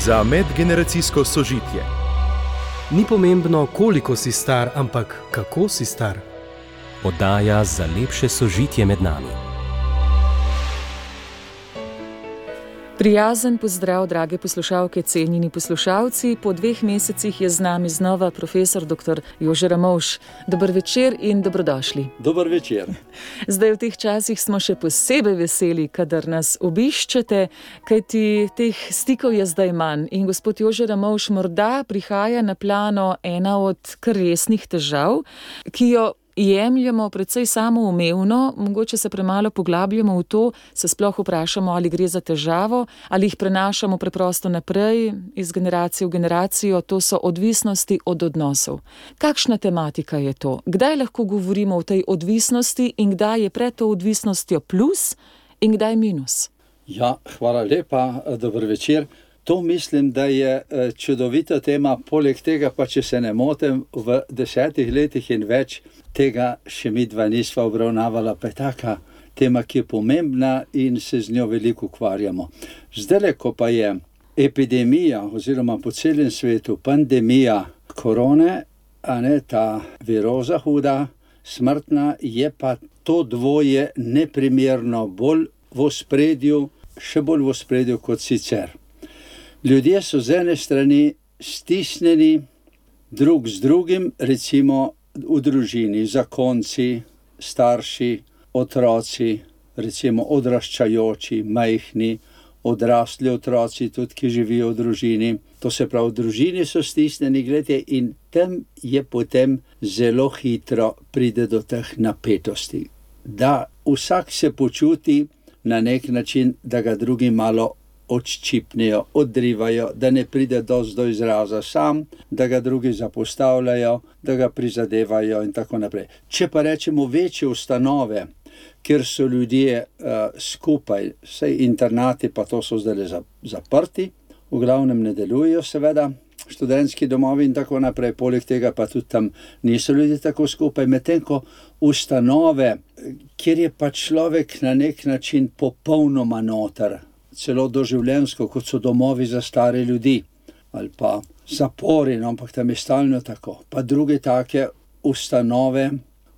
za medgeneracijsko sožitje. Ni pomembno, koliko si star, ampak kako si star. Oddaja za lepše sožitje med nami. Prijazen pozdrav, drage poslušalke, cenjeni poslušalci. Po 2 mesecih je z nami znova profesor dr. Jože Ramovš. Dober večer in dobrodošli. Dober večer. Zdaj v teh časih smo še posebej veseli, kadar nas obiščete, kajti teh stikov je zdaj manj. In gospod Jože Ramovš, morda prihaja na plano ena od kar resnih težav, ki jo jemljemo precej samoumevno, mogoče se premalo poglabljamo v to, se sploh vprašamo, ali gre za težavo, ali jih prenašamo preprosto naprej, iz generacije v generacijo, to so odvisnosti od odnosov. Kakšna tematika je to? Kdaj lahko govorimo o tej odvisnosti in kdaj je pred to odvisnostjo plus in kdaj minus? Ja, hvala lepa, dober večer. To mislim, da je čudovita tema, poleg tega pa, če se ne motim, v 10 letih in več tega še mi dva nisva obravnavala, pa je taka tema, ki je pomembna in se z njo veliko ukvarjamo. Zdaj, ko pa je epidemija oziroma po celem svetu pandemija korone, a ne ta viroza huda, smrtna, je pa to dvoje neprimerno bolj v ospredju, še bolj v ospredju kot sicer. Ljudje so z ene strani stisnjeni drug z drugim, recimo v družini, zakonci, starši, otroci, recimo odraščajoči, majhni, odrasli otroci, tudi ki živijo v družini. To se pravi, v družini so stisnjeni, gledajte, in tam je potem zelo hitro pride do teh napetosti. Da vsak se počuti na nek način, da ga drugi malo odščipnejo, odrivajo, da ne pride dosti do izraza sam, da ga drugi zapostavljajo, da ga prizadevajo in tako naprej. Če pa rečemo večje ustanove, kjer so ljudje skupaj, saj internati pa to so zdaj zaprti, v glavnem ne delujejo seveda, študentski domovi in tako naprej, poleg tega pa tudi tam niso ljudje tako skupaj, medtem ko ustanove, kjer je pa človek na nek način popolnoma noter, celo doživljenjsko, kot so domovi za stare ljudi, ali pa zapori, no, ampak tam je stalno tako. Pa druge take ustanove,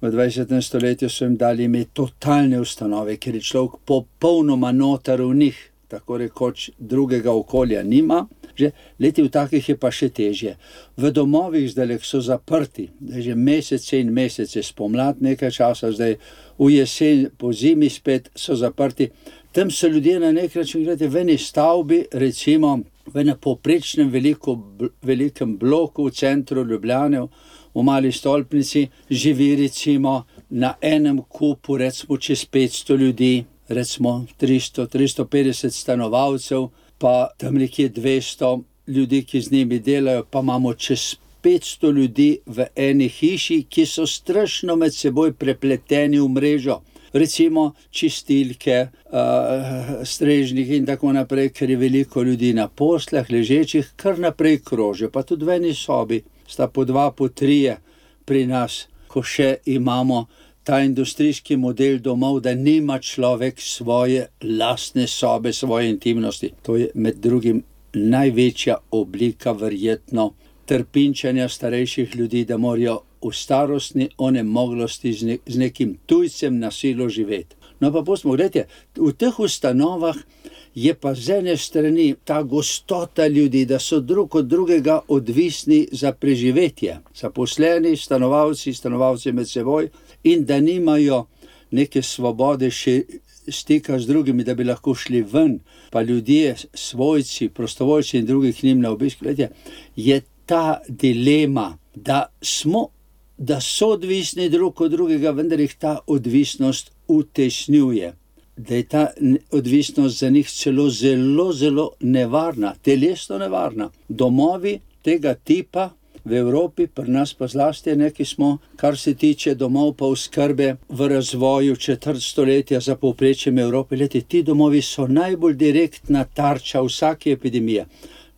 v 20. stoletju so jim dali ime totalne ustanove, ker je človek popolnoma noter v njih, tako rekoč drugega okolja nima. Že leti v takih je pa še težje. V domovih zdaj so zaprti, že mesece in mesece, spomlad nekaj časa, zdaj v jesen, po zimi spet so zaprti. Tam so ljudje na nek način, gledajte, v eni stavbi, recimo v enem povprečnem velikem bloku v centru Ljubljane, v Mali stolpnici, živi recimo na enem kupu, recimo čez 500 ljudi, recimo 300-350 stanovalcev, pa tam nekje 200 ljudi, ki z njimi delajo, pa imamo čez 500 ljudi v eni hiši, ki so strašno med seboj prepleteni v mrežo. Recimo čistilke, strežniki in tako naprej, ker je veliko ljudi na poslah, ležečih, kar naprej krožijo. Pa tudi v eni sobi sta po 2, po 3 pri nas, ko še imamo ta industrijski model domov, da nima človek svoje lastne sobe, svoje intimnosti. To je med drugim največja oblika verjetno trpinčanja starejših ljudi, da morajo v starostni onemoglosti z nekim tujcem na silo živeti. No pa pustimo, gledajte, v teh ustanovah je pa z ene strani ta gostota ljudi, da so drug od drugega odvisni za preživetje. Zaposleni, stanovalci med seboj in da nimajo neke svobode še stika z drugimi, da bi lahko šli ven, pa ljudje, svojci, prostovoljci in drugi k njim na obisk. Gledajte, je ta dilema, da so odvisni drug od drugega, vendar jih ta odvisnost utesnjuje. Da je ta odvisnost za njih celo zelo nevarna, telesno nevarna. Domovi tega tipa v Evropi, pri nas pa zlasti neki smo, kar se tiče domov pa oskrbe v razvoju 4. stoletja za povprečjem Evrope. Ti domovi so najbolj direktna tarča vsake epidemije.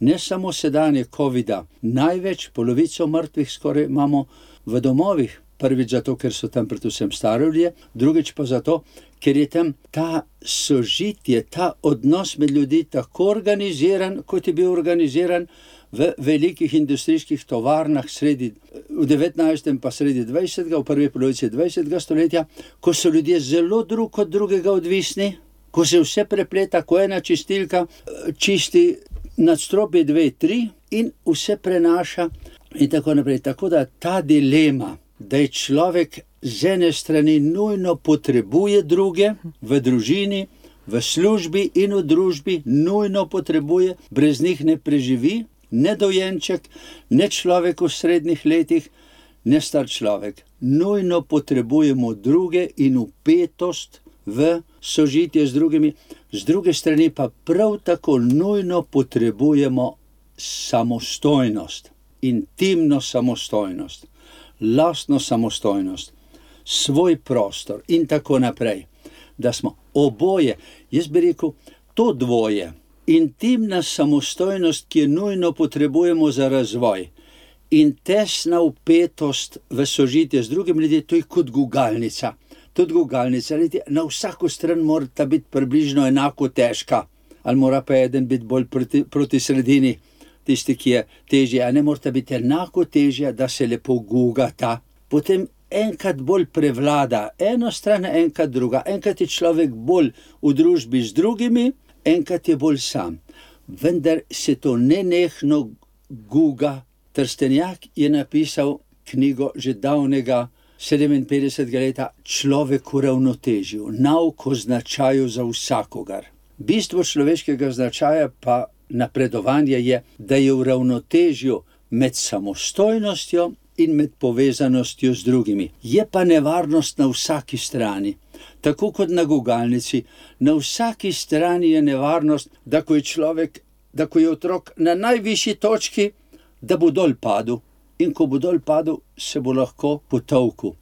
Ne samo sedanje covida, največ, polovico mrtvih skoraj imamo v domovih. Prvič zato, ker so tam predvsem stari ljudje, drugič pa zato, ker je tam ta sožitje, ta odnos med ljudi tako organiziran, kot je bil organiziran v velikih industrijskih tovarnah v 19. pa sredi 20. v prvi polovici 20. stoletja, ko so ljudje zelo drug od drugega odvisni, ko se vse prepleta, ko ena čistilka čisti nadstropje 2, 3 in vse prenaša in tako naprej. Tako da ta dilema, da je človek z ene strani nujno potrebuje druge v družini, v službi in v družbi, nujno potrebuje, brez njih ne preživi, ne dojenček, ne človek v srednjih letih, ne star človek. Nujno potrebujemo druge in vpetost v sožitje z drugimi, z druge strani pa prav tako nujno potrebujemo samostojnost, intimno samostojnost, lastno samostojnost, svoj prostor in tako naprej. Da smo oboje, jaz bi rekel, to dvoje, intimna samostojnost, ki jo nujno potrebujemo za razvoj, in tesna vpetost v sožitje z drugim ljudem, to je kot gugalnica. Tudi gugalnica, na vsako stran mora biti približno enako težka, ali mora pa eden biti bolj proti sredini, tisti, ki je težji, a ne mora biti enako težja, da se lepo gugata. Potem enkrat bolj prevlada ena stran, enkrat druga. Enkrat je človek bolj v družbi z drugimi, enkrat je bolj sam. Vendar se to nenehno guga. Trstenjak je napisal knjigo že davnega 57. leta Človek v ravnotežju, nauk o značaju za vsakogar. Bistvo človeškega značaja pa napredovanje je, da je v ravnotežju med samostojnostjo in med povezanostjo z drugimi. Je pa nevarnost na vsaki strani. Tako kot na gugalnici, na vsaki strani je nevarnost, da ko je otrok na najvišji točki, da bo dol padel. In ko bo dol padel, se bo lahko potolkel.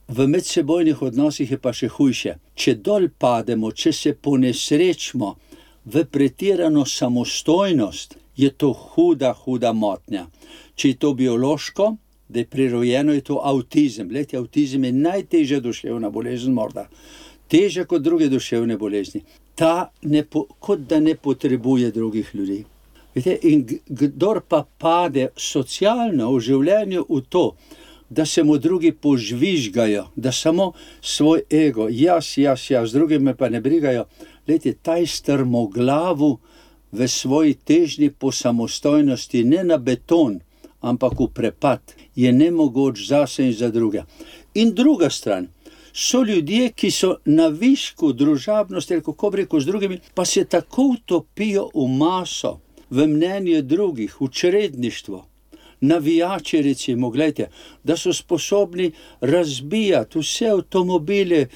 V medsebojnih odnosih je pa še hujše. Če dol pademo, če se ponesrečimo v pretirano samostojnost, je to huda motnja. Če je to biološko, da je prirojeno, je to avtizem. Glejte, avtizem je najtežja duševna bolezen morda. Težja kot druge duševne bolezni. Kot da ne potrebuje drugih ljudi. In kdor pa pade socialno v življenju v to, da se mu drugi požvižgajo, da samo svoj ego, jaz, z drugimi pa ne brigajo, ta je strmoglavu v svoji težnji po samostojnosti, ne na beton, ampak v prepad, je nemogoč zase in za druge. In druga stran, so ljudje, ki so na višku družabnosti, ali kako bi rekel, z drugimi, pa se tako utopijo v maso, v mnenje drugih, v čredništvo, navijači recimo, gledajte, da so sposobni razbijati vse avtomobile,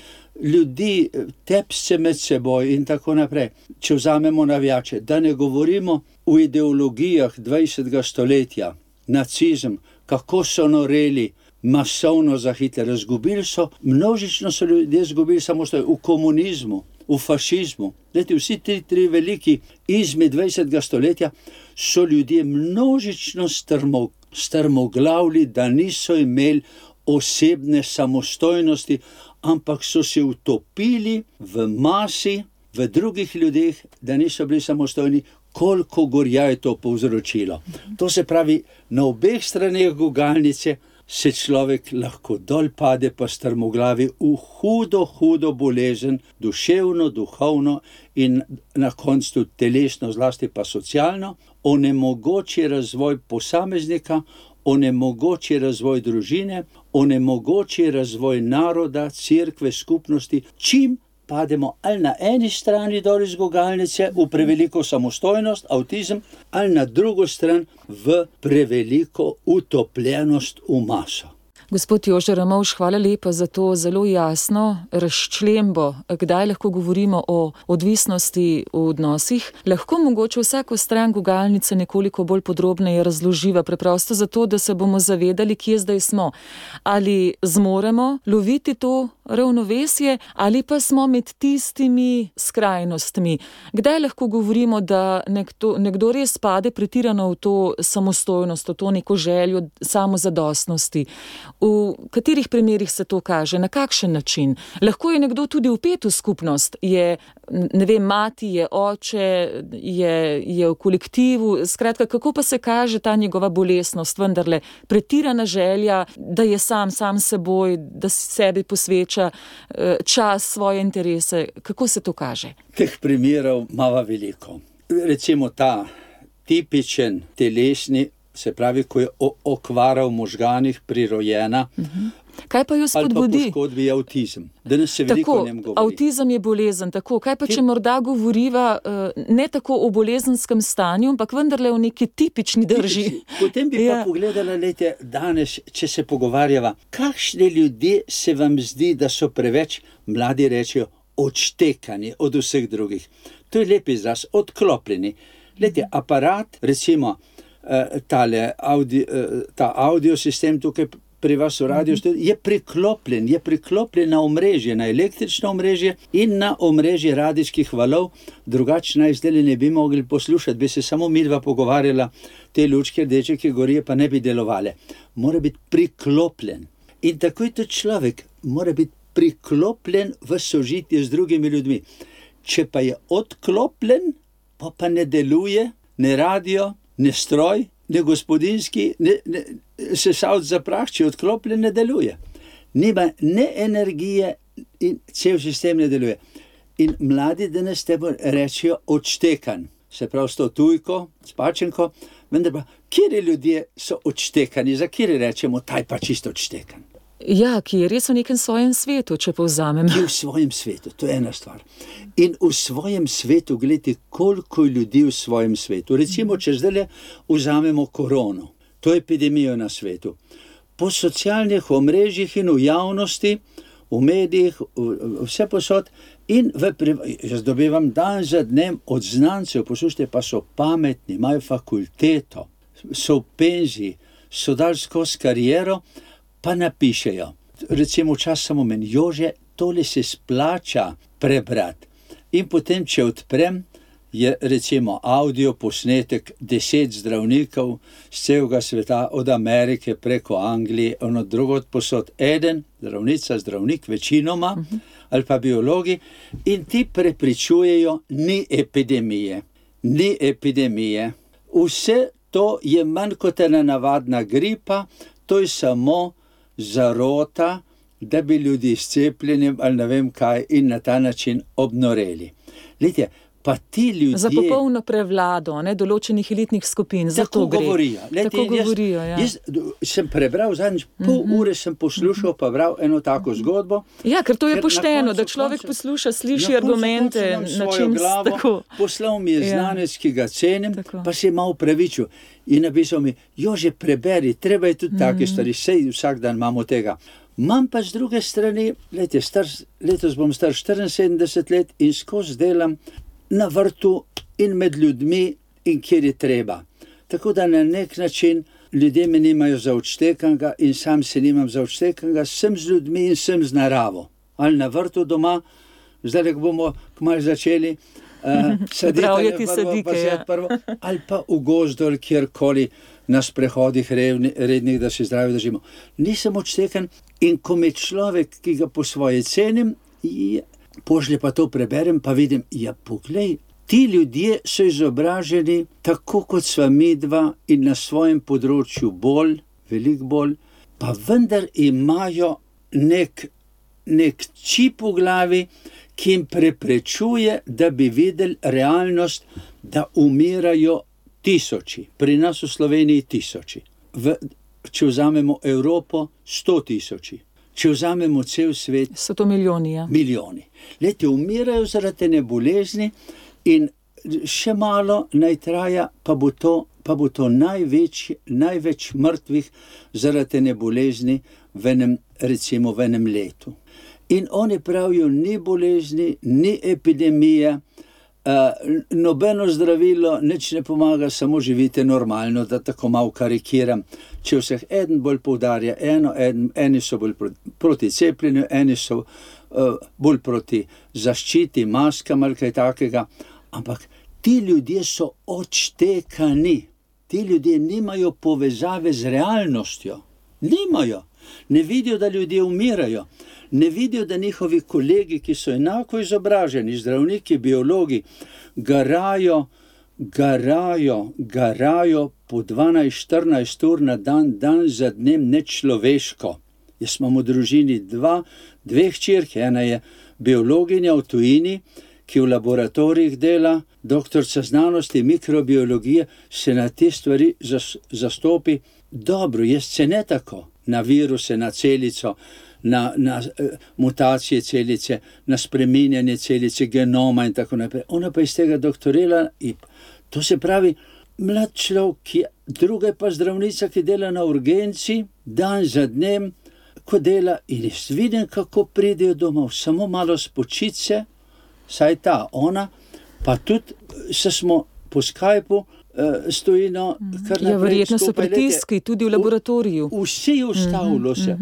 ljudi, tepse med seboj in tako naprej. Če vzamemo navijače, da ne govorimo o ideologijah 20. stoletja, nacizem, kako so noreli masovno za Hitlera, množično so ljudje izgubili samostojnost v komunizmu, v fašizmu. Vsi tri veliki izmi 20. stoletja so ljudje množično strmoglavili, da niso imeli osebne samostojnosti, ampak so se utopili v masi, v drugih ljudeh, da niso bili samostojni, koliko gorja je to povzročilo. To se pravi, na obeh straneh gugalnice se človek lahko dol pade pa strmoglavi v hudo bolezen, duševno, duhovno in na koncu telesno, zlasti pa socialno, onemogoči razvoj posameznika, onemogoči razvoj družine, onemogoči razvoj naroda, cerkve, skupnosti, čim pademo ali na eni strani dol iz gugalnice v preveliko samostojnost, avtizem, ali na drugo stran v preveliko utopljenost v maso. Gospod Jože Ramovš, hvala lepa za to zelo jasno razčlembo, kdaj lahko govorimo o odvisnosti v odnosih. Lahko mogoče vsako stran gugalnice nekoliko bolj podrobneje razloživa, preprosto zato, da se bomo zavedali, kje zdaj smo. Ali zmoremo loviti to ravnovesje, ali pa smo med tistimi skrajnostmi. Kdaj lahko govorimo, da nekdo res pade pretirano v to samostojnost, v to neko željo samozadostnosti, V katerih primerih se to kaže, na kakšen način? Lahko je nekdo tudi vpet v skupnost, je, ne vem, mati, je oče, je v kolektivu, skratka, kako pa se kaže ta njegova bolesnost, vendarle pretirana želja, da je sam seboj, da sebi posveča čas, svoje interese, kako se to kaže? Teh primerov imava veliko. Recimo ta tipičen telesni, se pravi, ko je okvara v možganih prirojena, Kaj pa jo spodbudi? Ali pa poškodbi je avtizem. Danes se veliko o njem govori. Avtizem je bolezen, tako. Kaj pa, če morda govoriva ne tako o bolezenskem stanju, ampak vendarle o neki tipični drži? Potem bi pa pogledala, lejte, danes, če se pogovarjava, kakšne ljudje se vam zdi, da so preveč, mladi rečejo, odštekani od vseh drugih. To je lep izraz, odklopljeni. Lejte, aparat, recimo, ta audio sistem tukaj pri vas v radiju je priklopljen na omrežje, na električno omrežje in na omrežje radijskih valov, drugače naj zdaj ne bi mogli poslušati, bi se samo midva pogovarjala, te lučke rdeče, ki gorijo, pa ne bi delovale. Mora biti priklopljen. In tako je tudi človek, mora biti priklopljen v sožitje z drugimi ljudmi. Če pa je odklopljen, pa ne deluje, ne radio, ne stroj, ne gospodinski, ne sesavc za prah, če odklopljen, ne deluje. Nima ne energije in cel sistem ne deluje. In mladi danes tebe rečejo odštekan, se pravi s to tujko, s pačenko, vendar pa, kjeri ljudje so odštekani, za kjeri rečemo, taj pa čisto odštekan. Ja, ki je res v nekem svojem svetu, če povzamem. Ki je v svojem svetu, to je ena stvar. In v svojem svetu, gledajte, koliko ljudi v svojem svetu. Recimo, če zdaj vzamemo korono, to epidemijo na svetu. Po socialnih omrežjih in v javnosti, v medijih, vse posod, in jaz dobivam dan za dnem od znancev, poslušajte, pa so pametni, imajo fakulteto, so v penziji, so dali skozi kariero, pa napišejo, recimo čas samo meni, Jože, tole se splača prebrati. In potem, če odprem, je recimo audio posnetek 10 zdravnikov z celega sveta, od Amerike preko Anglije, od drugod posod, eden, zdravnica, zdravnik, večinoma, ali pa biologi, in ti prepričujejo, ni epidemije. Vse to je manj kot ena navadna gripa, to je samo zarota, da bi ljudi s cepljenjem ali ne vem kaj in na ta način obnoreli. Lejte, pa ti ljudje... Za popolno prevlado, določenih elitnih skupin, za to gre. Tako govorijo. Jaz sem prebral zadnjič, pol ure sem poslušal, pa bral eno tako zgodbo. Ja, ker to je pošteno, da človek posluša, sliši argumente, na čim tako. Poslal mi je znanec, ki ga cenim, pa se je malo pravičil. In napisal mi, Jože, preberi, treba je tudi take stvari, sej vsak dan imamo tega. Imam pa z druge strani, letos bom star 74 let in skozi delam na vrtu in med ljudmi in kjer je treba. Tako da na nek način ljudje me nimajo za odštekanga in sam se nimam za odštekanga, sem z ljudmi in sem z naravo. Ali na vrtu doma, zdaj ko bomo kmalu začeli, ali pa v gozdu ali kjerkoli na sprehodih rednih, da se zdravi držimo. Nisem odštekan in ko me človek, ki ga po svoje cenim, pošlje pa to preberem, pa vidim, ja poglej, ti ljudje so izobraženi tako kot sva midva in na svojem področju veliko bolj, pa vendar imajo nek čip v glavi, ki jim preprečuje, da bi videli realnost, da umirajo tisoči. Pri nas v Sloveniji tisoči. Če vzamemo Evropo, 100 000. Če vzamemo cel svet... So to milijoni, ja. Milijoni. Lejte, umirajo zaradi te bolezni in še malo naj traja, pa bo to največ mrtvih zaradi te bolezni v enem letu. In oni pravijo, ni bolezni, ni epidemije, nobeno zdravilo, nič ne pomaga, samo živite normalno, da tako malo karikiram. Če vseh eden bolj poudarja eni so bolj proti cepljenju, eni so bolj proti zaščiti, maskam ali kaj takega, ampak ti ljudje so odštekani. Ti ljudje nimajo povezave z realnostjo. Nimajo. ne vidijo, da ljudje umirajo, ne vidijo, da njihovi kolegi, ki so enako izobraženi, zdravniki, biologi, garajo po 12-14 ur na dan za dnem nečloveško. Jaz imam v družini dve hčerke, ena je biologinja v tujini, ki v laboratorijih dela, doktorica znanosti, mikrobiologije, se na te stvari zastopi dobro. Jaz se ne tako na viruse, na celico, na mutacije celice, na spreminjanje celice, genoma in tako naprej. Ona pa iz tega doktorela in to se pravi, mlad človek, druga je pa zdravnica, ki dela na urgenci, dan za dnem, ko dela in jaz vidim, kako pridejo domov, samo malo spočit se, saj ona, pa tudi se smo po Skypu stojino kar naprej. Verjetno so pritiski tudi v laboratoriju. Vse je ustavilo se,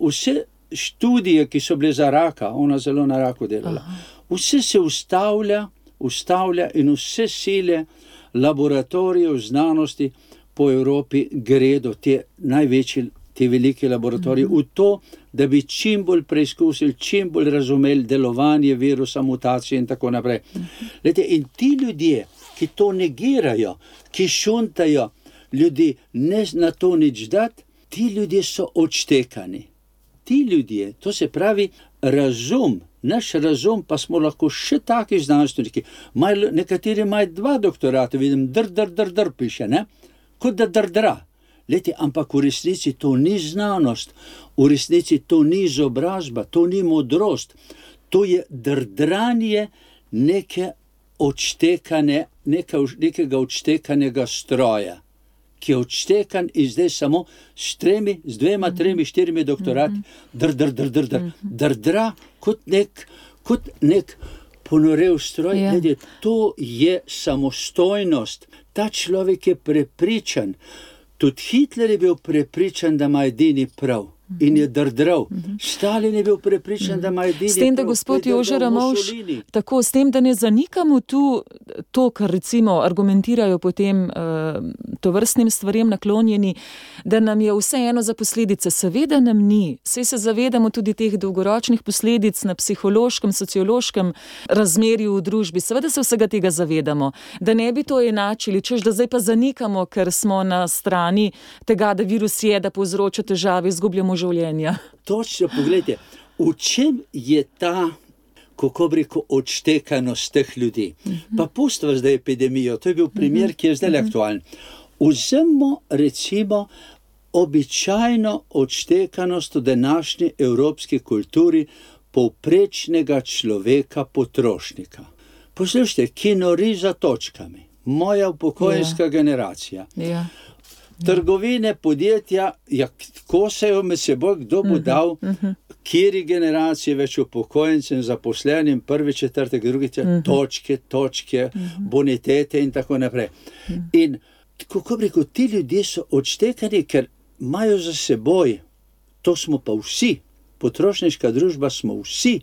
vse študije, ki so bile za raka, ona zelo na raku delala, vse se ustavlja in vse sile laboratorijev znanosti po Evropi gredo te največji, te velike laboratorije v to, da bi čim bolj preizkusili, čim bolj razumeli delovanje virusa, mutacije in tako naprej. Lejte, in ti ljudje, ki to negirajo, ki šuntajo ljudi, ne na to nič dati, ti ljudje so odštekani. Ti ljudje, to se pravi razum, naš razum, pa smo lahko še taki znanstveniki. Nekateri imajo 2 doktorata, vidim, dr piše, ne? Kot da drdra. Lejte, ampak v resnici to ni znanost, v resnici to ni izobrazba, to ni modrost, to je drdranje nekega odštekanega stroja, ki je odštekan in zdaj samo s 2, 3, 4 doktorati, drdra kot nek ponorev stroj. Lejte, to je samostojnost. Ta človek je prepričan. Tudi Hitler je bil prepričan, da ima edini prav in je drdral. Stalin je bil prepričan, da ima edini prav. S tem, da gospod Jože Ramovš, tako, s tem, da ne zanikamo tu to, kar recimo argumentirajo potem tovrstnim stvarem naklonjeni, da nam je vseeno za posledice. Seveda nam ni. Saj se zavedamo tudi teh dolgoročnih posledic na psihološkem, sociološkem razmerju v družbi. Seveda se vsega tega zavedamo. Da ne bi to enačili, češ da zdaj pa zanikamo, ker smo na strani tega, da virus je, da povzroča težave, izgubljamo življenja. Točno, pogledajte, v čem je ta, kako bi rekel, odštekanost teh ljudi? Pa pustva zdaj epidemijo, to je bil primer, ki je zdaj aktualen. Vzemimo recimo običajno odštekanost v današnji evropski kulturi povprečnega človeka potrošnika. Poslušajte, ki nori za točkami, moja upokojenska generacija. Trgovine, podjetja, kosajo med seboj, kdo bo dal, kjeri generacije več upokojencem, zaposlenim, 1., 4., 2., točke, bonitete in tako naprej. In kako bi rekel, ti ljudje so odštekani, ker imajo za seboj, to smo pa vsi, potrošniška družba smo vsi,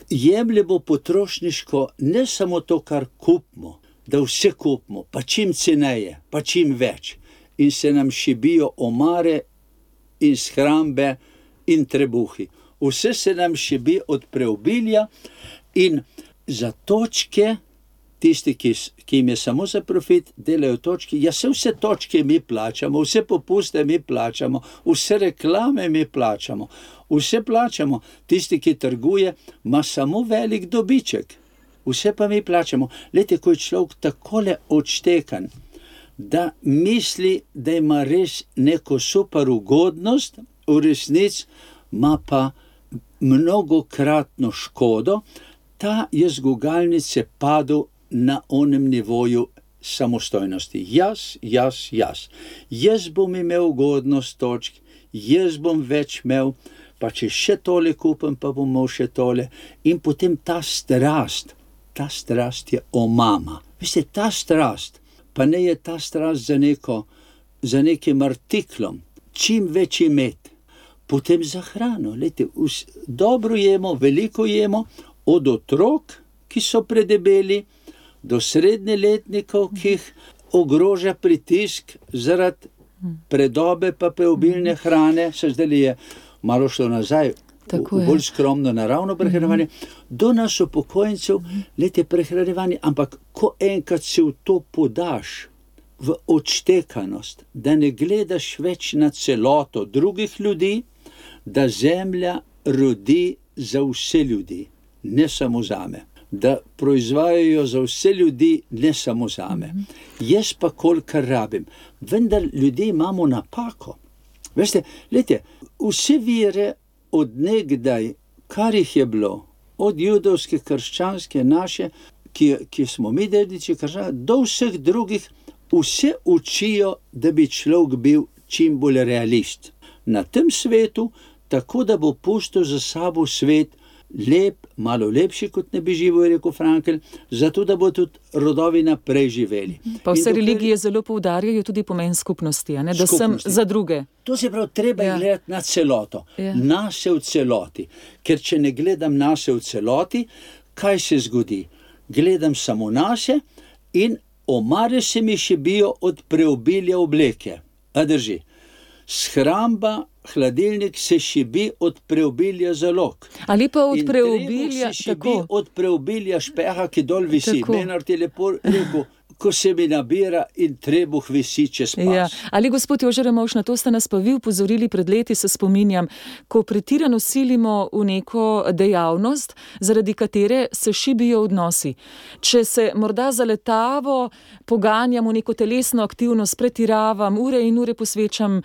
jemljemo potrošniško ne samo to, kar kupimo, da vse kupimo, pa čim ceneje, pa čim več. In se nam šibijo omare in shrambe in trebuhi. Vse se nam šibi od preobilja in za točke, tisti, ki jim je samo za profit, delajo točke. Ja, vse točke mi plačamo, vse popuste mi plačamo, vse reklame mi plačamo, vse plačamo. Tisti, ki trguje, ima samo velik dobiček. Vse pa mi plačamo. Lejte, ko je človek takole odštekan, da misli, da ima res neko super ugodnost, v resnici ima pa mnogokratno škodo, ta je z gugalnice padel na onem nivoju samostojnosti. Jaz bom imel ugodnost točk, jaz bom več imel, pa če še tole kupim, pa bom imel še tole. In potem ta strast je omama. Veste, ta strast, pa ne je ta strast za nekim artiklom, čim več imeti, potem za hrano. Lejte, dobro jemo, veliko jemo, od otrok, ki so predebeli, do srednjeletnikov, ki jih ogroža pritisk zaradi predobe pa preobilne hrane, se zdaj je malo šlo nazaj, v bolj skromno naravno prehranjevanje, do nas upokojencev, lete prehranjevanje, ampak ko enkrat se v to podaš, v odštekanost, da ne gledaš več na celoto drugih ljudi, da zemlja rodi za vse ljudi, ne samo zame. Da proizvajajo za vse ljudi, ne samo zame. Jaz pa kolikor rabim. Vendar ljudje imamo napako. Veste, lete, vse vere od nekdaj, kar jih je bilo, od judovske, krščanske, naše, ki smo mi dediči krščanske, do vseh drugih, vse učijo, da bi človek bil čim bolj realist. Na tem svetu, tako da bo pustil za sabo svet lep, malo lepši, kot ne bi živel, je rekel Frankl, zato da bo tudi rodovi naprej živeli. Pa vse religije zelo poudarjajo tudi pomen skupnosti, a ne? Da sem za druge. To se pravi, treba je gledati na celoto, nase v celoti. Ker če ne gledam nase v celoti, kaj se zgodi? Gledam samo nase in omare se mi šibijo od preobilja obleke. A drži? Shramba, hladilnik se šibi od preobilja zalog. Ali pa od preobilja, in se šibi od preobilja špeha, ki dol visi. Menard je lepo rekel, ko se mi nabira in trebuh visi čez pas. Ja. Ali gospod Jože Ramovš, na to ste nas pa vi upozorili pred leti, se spominjam, ko pretirano silimo v neko dejavnost, zaradi katere se šibijo odnosi. Če se morda zaletavo poganjam v neko telesno aktivnost, pretiravam, ure in ure posvečam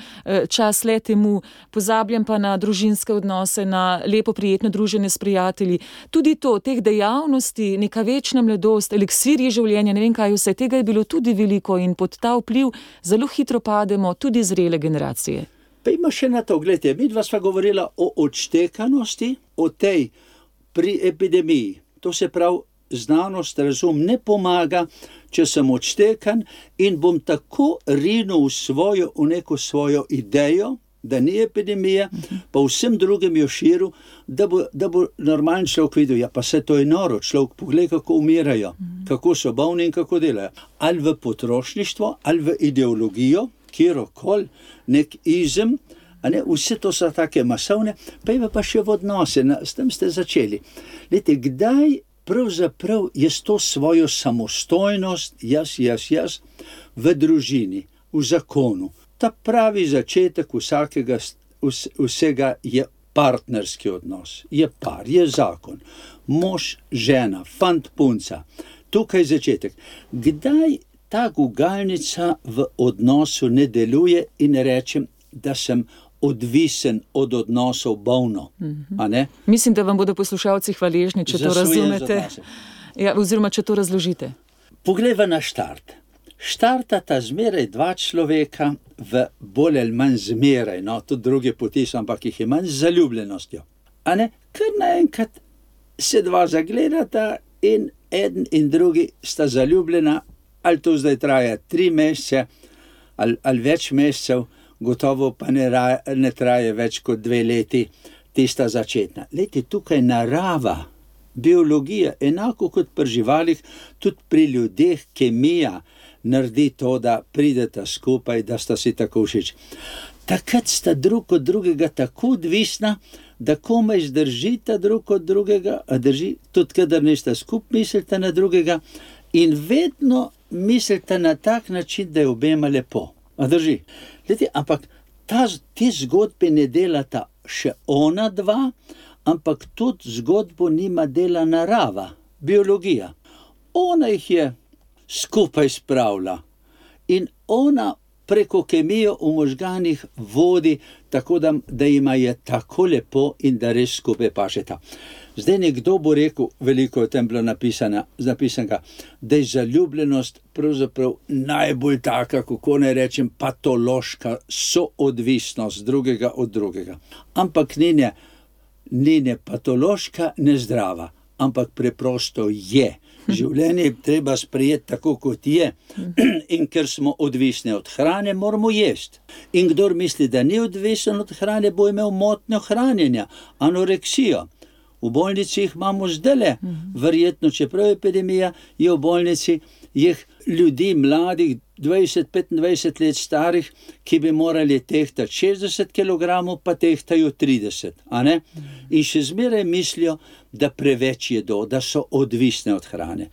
čas le temu, pozabljam pa na družinske odnose, na lepo prijetno druženje s prijatelji. Tudi to, teh dejavnosti, neka večna mladost, eliksirji življenja, ne vem kaj vse, tega je bilo tudi veliko in pod ta vpliv zelo hitro pademo tudi zrele generacije. Pa ima še na to, gledajte, mi dva sva govorila o odštekanosti, o tej pri epidemiji. To se pravi, znanost, razum ne pomaga, če sem odštekan in bom tako rinil v neko svojo idejo, da ni epidemija, pa vsem drugim jo širil, da bo normalen človek videl, ja pa se to je noro, človek pogled, kako umirajo, kako so bolni in kako delajo. Ali v potrošništvo, ali v ideologijo, kjerokoli, nek izem, a ne, vse to so take masovne, pa še v odnose, s tem ste začeli. Lete, kdaj pravzaprav jaz to svojo samostojnost, jaz, v družini, v zakonu, ta pravi začetek vsega je partnerski odnos, je par, je zakon, mož, žena, fant, punca, tukaj je začetek. Kdaj ta gugalnica v odnosu ne deluje in rečem, da sem odvisen od odnosov bolno, a ne? Mislim, da vam bodo poslušalci hvaležni, če to razumete. Ja, oziroma, če to razložite. Poglejva na štart. Štartata zmeraj dva človeka v bolj ali manj zmeraj, no, tudi druge poti so, ampak jih je manj z zaljubljenostjo. A ne, ker naenkrat se dva zagledata in eden in drugi sta zaljubljena, ali to zdaj traja 3 mesece, ali več mesecev, gotovo pa ne traje več kot 2 leti, tista začetna. Lejte, tukaj narava, biologija, enako kot pri živalih, tudi pri ljudeh, kemija, naredi to, da prideta skupaj, da sta si tako všeč. Takrat sta drug od drugega tako odvisna, da komaj zdržita drug od drugega, a drži, tudi kadar nista skupaj, mislite na drugega in vedno mislite na tak način, da je obema lepo. A drži? Leti, ampak te zgodbe ne delata še ona dva, ampak tudi zgodbo nima dela narava, biologija. Ona jih je skupaj spravlja in ona preko kemijo v možganih vodi, tako da ima je tako lepo in da res skupaj pašeta. Zdaj nekdo bo rekel, veliko je tem bilo napisanega, da je zaljubljenost pravzaprav najbolj taka, kako ne rečem, patološka soodvisnost drugega od drugega. Ampak ni ne patološka, ne zdrava, ampak preprosto je. Življenje je treba sprejeti tako, kot je. In ker smo odvisni od hrane, moramo jesti. In kdor misli, da ni odvisen od hrane, bo imel motnjo hranjenja, anoreksijo. V bolnici jih imamo zdajle, verjetno, čeprav je epidemija, je v bolnici ljudi mladih, 20-25 let starih, ki bi morali tehtati 60 kg, pa tehtajo 30, a ne? In še zmeraj mislijo, da preveč jedo, da so odvisne od hrane.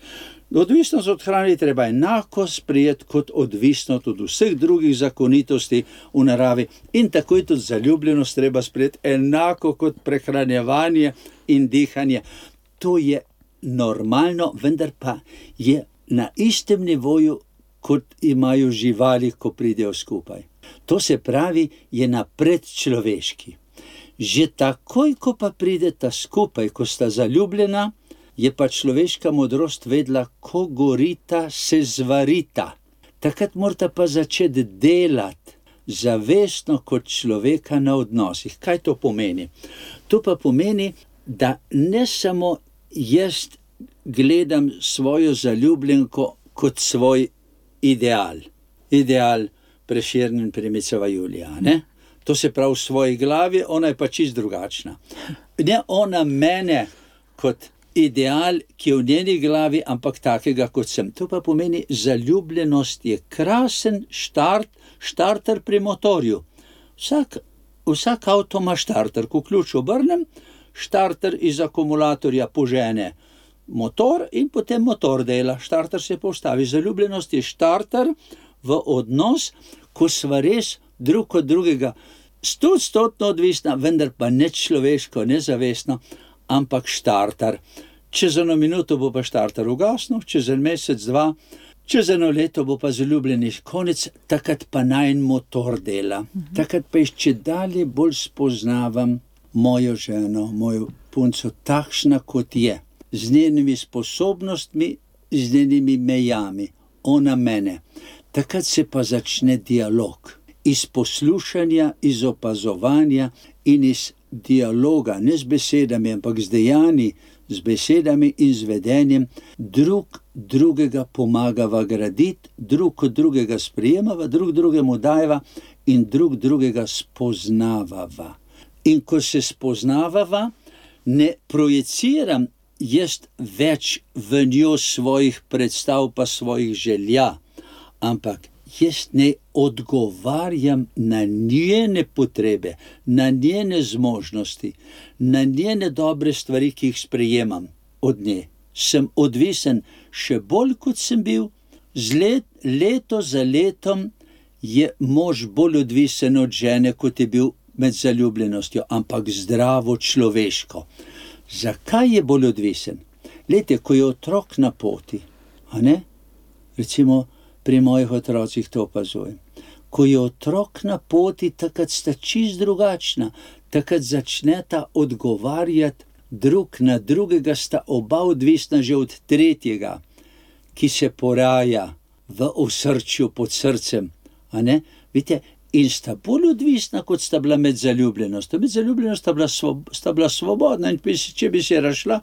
Odvisnost od hrane treba enako sprejeti kot odvisnost od vseh drugih zakonitosti v naravi in tako je tudi zaljubljenost treba sprejeti enako kot prehranjevanje in dihanje. To je normalno, vendar pa je na istem nivoju, kot imajo živali, ko pridejo skupaj. To se pravi, je napredčloveški. Že takoj, ko pa prideta skupaj, ko sta zaljubljena, je pa človeška modrost vedela, ko gorita, se zvarita. Takrat morata pa začeti delati zavestno kot človeka na odnosih. Kaj to pomeni? To pa pomeni, da ne samo jaz gledam svojo zaljubljenko kot svoj ideal. Ideal Prešeren, Primiceva Julija, ne? To se pravi v svoji glavi, ona je pa čist drugačna. Ne ona mene kot ideal, ki je v njeni glavi, ampak takega, kot sem. To pa pomeni, zaljubljenost je krasen štarter pri motorju. Vsak avto ima štarter, ko ključ obrnem, štarter iz akumulatorja požene motor in potem motor dela, štarter se postavi. Zaljubljenost je štarter v odnos, ko sva res drug od drugega 100% odvisna, vendar pa ne človeško, ne zavestno, ampak štarter. Čez eno minuto bo pa štarter ugasnil, čez en mesec, dva, čez eno leto bo pa zaljubljeni konec, takrat pa najin motor dela. Takrat pa še dalje bolj spoznavam mojo ženo, mojo punco, takšna kot je, z njenimi sposobnostmi, z njenimi mejami, ona mene. Takrat se pa začne dialog. Iz poslušanja, iz opazovanja in iz dialoga, ne z besedami, ampak z dejanji, z besedami in z vedenjem, drug drugega pomagava graditi, drug od drugega sprejemava, drug drugemu dajeva in drug drugega spoznavava. In ko se spoznavava, ne projiciram jaz več v njo svojih predstav pa svojih želja, ampak jaz ne odgovarjam na njene potrebe, na njene zmožnosti, na njene dobre stvari, ki jih sprejemam od nje. Sem odvisen še bolj, kot sem bil. Leto za letom je mož bolj odvisen od žene, kot je bil med zaljubljenostjo, ampak zdravo človeško. Zakaj je bolj odvisen? Glejte, ko je otrok na poti, a ne? Recimo, pri mojih otrocih to opazujem. Ko je otrok na poti, takrat sta čist drugačna, takrat začneta odgovarjati drug na drugega, sta oba odvisna že od tretjega, ki se poraja v osrčju pod srcem, a ne? Vidite, in sta bolj odvisna, kot sta bila med zaljubljenostjo. Med zaljubljenostjo sta bila svobodna in če bi se razšla,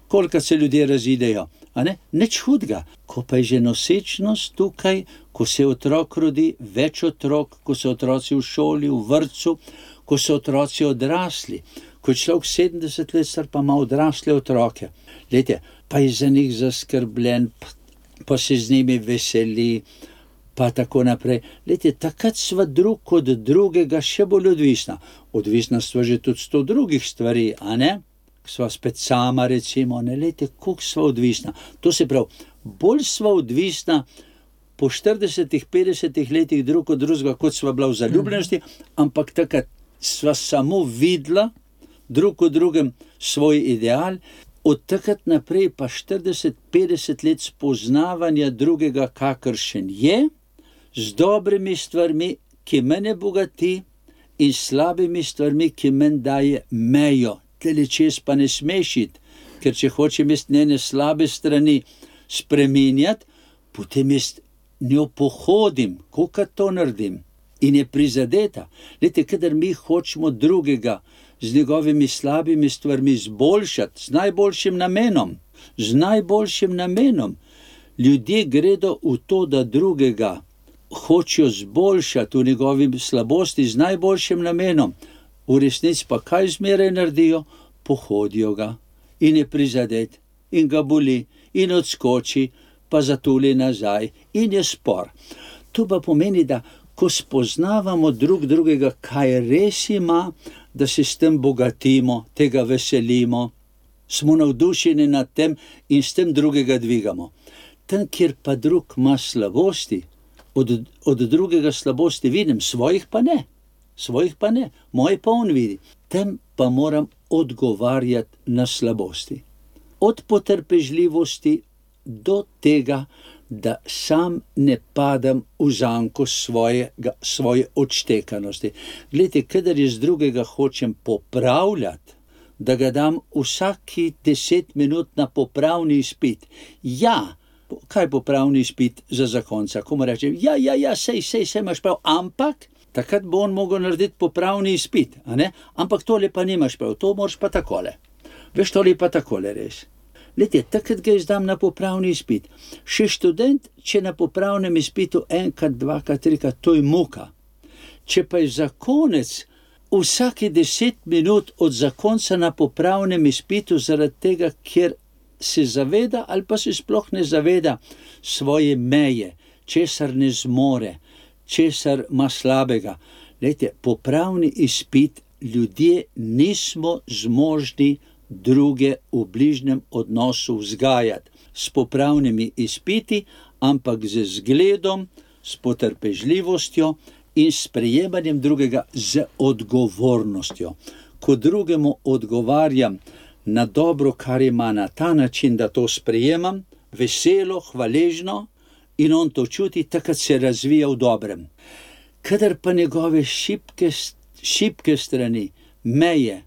kolikrat se ljudje razidejo, a ne? Nič hudega. Ko pa je že nosečnost tukaj, ko se otrok rodi, več otrok, ko so otroci v šoli, v vrtcu, ko so otroci odrasli, ko je človek 70 let star, pa ima odrasle otroke. Glejte, pa je za njih zaskrbljen, pa se z njimi veseli, pa tako naprej. Glejte, takrat sva drug od drugega še bolj odvisna. Odvisna sva že tudi 100 drugih stvari, a ne? Sva spet sama, recimo, ne, lejte, koliko sva odvisna. To se pravi, bolj sva odvisna po 40-50 letih drug od drugega, kot sva bila v zaljubljenosti, ampak takrat sva samo videla drug od drugem svoj ideal, od takrat naprej pa 40-50 let spoznavanja drugega, kakršen je, z dobrimi stvarmi, ki mene bogati, in slabimi stvarmi, ki meni daje mejo. Tele čez pa ne smešiti, ker če hočem jaz njene slabe strani spreminjati, potem jaz njo pohodim, kolikor to naredim, in je prizadeta. Glejte, kadar mi hočemo drugega z njegovimi slabimi stvarmi izboljšati, z najboljšim namenom, ljudje gredo v to, da drugega hočejo zboljšati v njegovi slabosti z najboljšim namenom. V resnici pa kaj zmeraj naredijo? Pohodijo ga, in je prizadet in ga boli in odskoči, pa zatuli nazaj in je spor. To pa pomeni, da ko spoznavamo drug drugega, kaj res ima, da se s tem bogatimo, tega veselimo, smo navdušeni nad tem in s tem drugega dvigamo. Tam, kjer pa drug ima slabosti, od drugega slabosti vidim, svojih pa ne, moje pa on vidi. Tem pa moram odgovarjati na slabosti. Od potrpežljivosti do tega, da sam ne padam v zanko svoje odštekanosti. Glejte, kadar jaz drugega hočem popravljati, da ga dam vsaki 10 minut na popravni izpit. Ja, kaj popravni izpit za zakonca? Ko mu rečem, sej imaš prav, ampak takrat bo on mogel narediti popravni izpit, a ne? Ampak tole pa nimaš prav, to moraš pa takole. Veš, tole pa takole res. Glejte, takrat ga izdam na popravni izpit. Še študent, če na popravnem izpitu enkrat, dvakrat, trikrat, to je muka. Če pa je zakonec vsake 10 minut od zakonca na popravnem izpitu zaradi tega, ker se zaveda ali pa se sploh ne zaveda svoje meje, česar ne zmore, česar ima slabega. Glejte, popravni izpit, ljudje nismo zmožni druge v bližnjem odnosu vzgajati s popravnimi izpiti, ampak z zgledom, s potrpežljivostjo in sprejemanjem drugega z odgovornostjo. Ko drugemu odgovarjam na dobro, kar ima, na ta način, da to sprejemam, veselo, hvaležno in on to čuti, takrat se razvija v dobrem. Kadar pa njegove šibke strani, meje,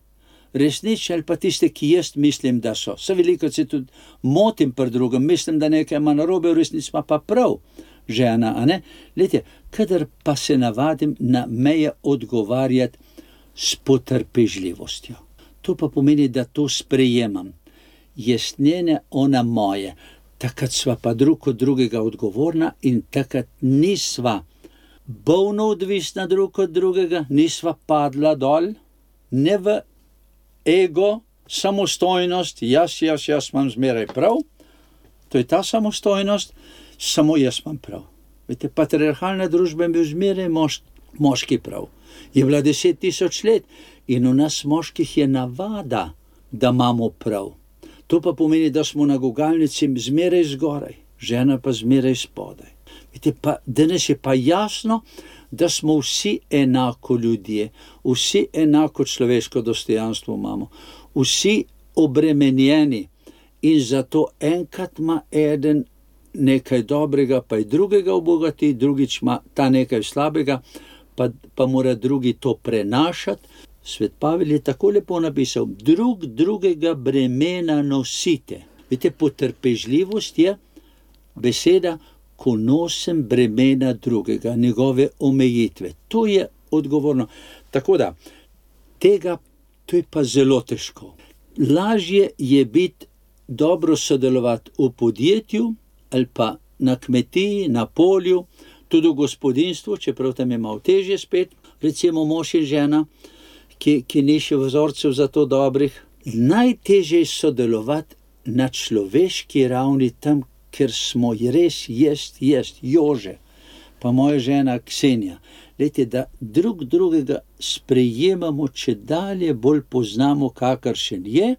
resnične ali pa tiste, ki jaz mislim, da so. Veliko se tudi motim pri drugem, mislim, da nekaj ima narobe, v resnici ima pa prav žena, a ne? Glejte, kadar pa se navadim na meje odgovarjati s potrpežljivostjo. To pa pomeni, da to sprejemam. Jaz njene, ona moje. Takrat sva pa drug od drugega odgovorna in takrat nisva bolno odvisna drug od drugega, nisva padla dol, ne v ego, samostojnost, jaz imam zmeraj prav, to je ta samostojnost, samo jaz imam prav. Vete, patriarhalna družba je bil zmeraj moški prav. Je bila 10 000 let in v nas moških je navada, da imamo prav. To pa pomeni, da smo na gugalnici zmeraj zgoraj, žena pa zmeraj spodaj. Vete, pa danes je pa jasno, da smo vsi enako ljudje, vsi enako človeško dostojanstvo imamo, vsi obremenjeni in zato enkrat ima eden nekaj dobrega, pa je drugega obogati, drugič ima ta nekaj slabega, pa mora drugi to prenašati. Svet Pavel je tako lepo napisal, drugega bremena nosite. Veste, potrpežljivost je beseda, ko nosim bremena drugega, njegove omejitve. To je odgovorno. Tako da, to je pa zelo težko. Lažje je biti dobro sodelovati v podjetju ali pa na kmetiji, na polju, tudi v gospodinstvu, čeprav tam je malo težje spet, recimo mož in žena, ki ni še vzorcev za to dobrih. Najtežje je sodelovati na človeški ravni tam, ker smo res Jože, pa moja žena Ksenija. Lejte, da drugega sprejemamo, če dalje bolj poznamo, kakršen je,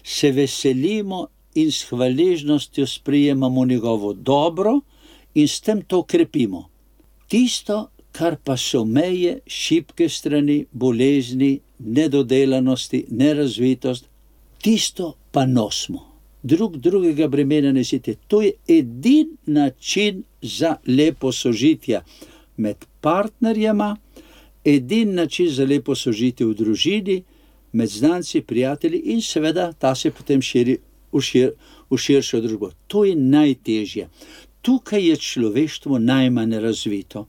se veselimo in s hvaležnostjo sprejemamo njegovo dobro in s tem to krepimo. Tisto, kar pa so meje, šibke strani, bolezni, nedodelanosti, nerazvitost, tisto pa nosimo. Drugega bremena nesite. To je edini način za lepo sožitje med partnerjema, edini način za lepo sožitje v družini, med znanci, prijatelji in seveda ta se potem širi v širšo družbo. To je najtežje. Tukaj je človeštvo najmanj razvito.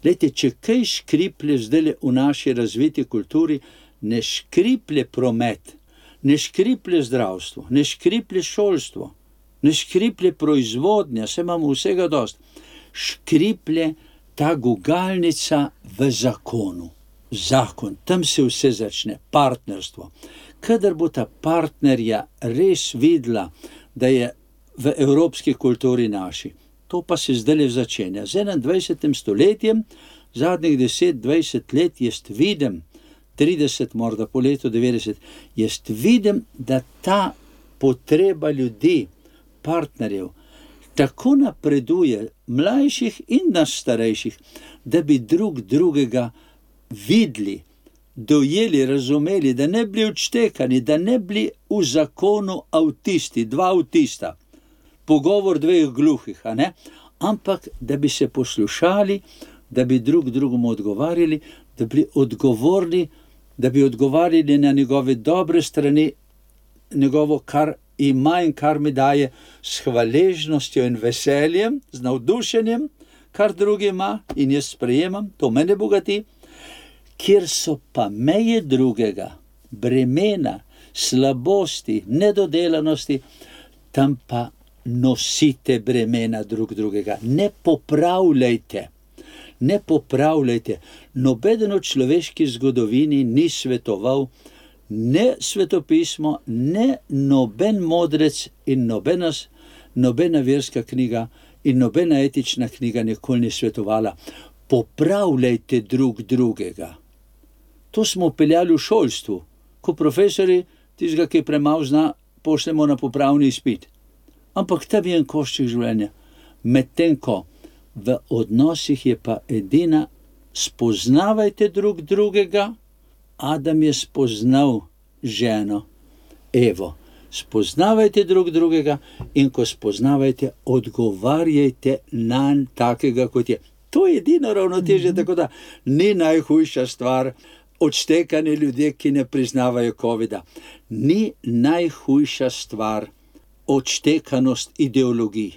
Glejte, če kaj škriplje zdaj v naši razviti kulturi, ne škriplje promet, ne škriplje zdravstvo, ne škriplje šolstvo, ne škriplje proizvodnja, se imamo vsega dost. Škriplje ta gugalnica v zakonu. Zakon, tam se vse začne, partnerstvo. kadar bo ta partnerja res videla, da je v evropski kulturi naši. To pa se zdaj začenja. Z 21. stoletjem, zadnjih 10-20 let, jaz vidim, 30, morda po letu 90, jaz vidim, da ta potreba ljudi, partnerjev, tako napreduje, mlajših in nas starejših, da bi drug drugega videli, dojeli, razumeli, da ne bili odštekani, da ne bili v zakonu avtisti, 2 avtista, pogovor 2 gluhih, a ne? Ampak da bi se poslušali, da bi drug drugemu odgovarjali, da bi odgovorni, da bi odgovarjali na njegove dobre strani, njegovo, kar ima in kar mi daje, s hvaležnostjo in veseljem, z navdušenjem, kar drugi ima in jaz sprejemam, to mene bogati, kjer so pa meje drugega, bremena, slabosti, nedodelanosti, tam pa nosite bremena drug drugega. Ne popravljajte. Nobeden v človeški zgodovini ni svetoval, ne svetopismo, ne noben modrec in nobena verska knjiga in nobena etična knjiga nikoli ni svetovala. Popravljajte drug drugega. To smo peljali v šolstvu, ko profesori tistega, ki premalo zna, pošljemo na popravni izpit. Ampak tam je en košček življenja. Medtem ko v odnosih je pa edina, spoznavajte drug drugega. Adam je spoznal ženo, Evo. Spoznavajte drug drugega in ko spoznavajte, odgovarjajte nanj takega, kot je. To je edino ravnotežje, tako da ni najhujša stvar odštekanje ljudje, ki ne priznavajo covida. Ni najhujša stvar odštekanost ideologij,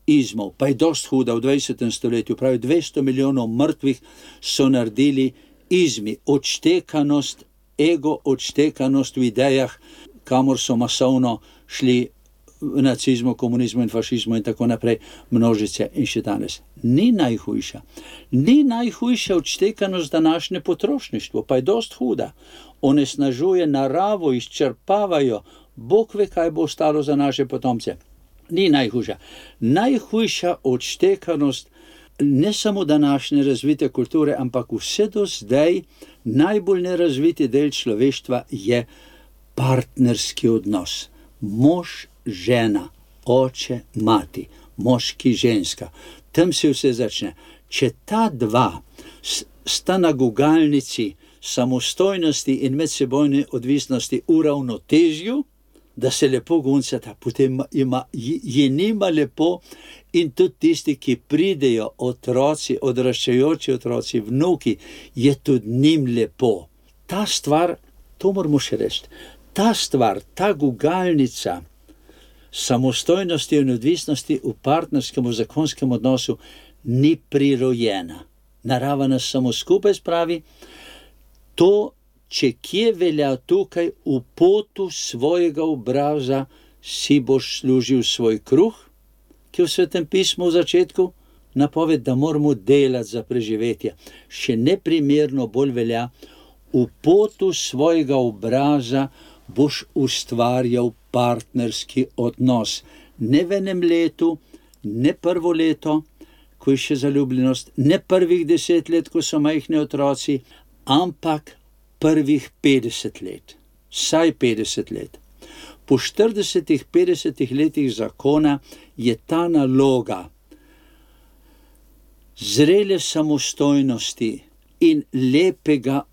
izmov, pa je dost huda v 20. stoletju, pravi 200 milijonov mrtvih so naredili izmi, odštekanost, ego odštekanost v idejah, kamor so masovno šli v nacizmu, komunizmu in fašizmu in tako naprej, množice in še danes. Ni najhujša. Ni najhujša odštekanost današnje potrošništvo, pa je dost huda. Onesnažuje naravo, izčrpavajo, Bog ve, kaj bo ostalo za naše potomce. Ni najhujša. Najhujša odštekanost ne samo današnje razvite kulture, ampak vse do zdaj najbolj nerazviti del človeštva je partnerski odnos. Mož, žena, oče, mati, moški, ženska. Tam se vse začne. Če ta dva sta na gugalnici samostojnosti in medsebojne odvisnosti v ravnotežju, da se lepo guncata, potem je njima lepo in tudi tisti, ki pridejo, otroci, odraščajoči otroci, vnuki, je tudi njim lepo. Ta stvar, to moramo še reči, ta stvar, ta gugalnica samostojnosti in odvisnosti v partnerskem, v zakonskem odnosu ni prirojena. Narava nas samo skupaj spravi. To, če kje velja tukaj, v potu svojega obraza si boš služil svoj kruh, ki je v Svetem pismu v začetku napoved, da moramo delati za preživetje. Še neprimerno bolj velja, v potu svojega obraza boš ustvarjal partnerski odnos. Ne v enem letu, ne prvo leto, ko je še zaljubljenost, ne prvih 10 let, ko so majhni otroci, ampak prvih 50 let, vsaj 50 let. Po 40-50 letih zakona je ta naloga zrele samostojnosti in lepega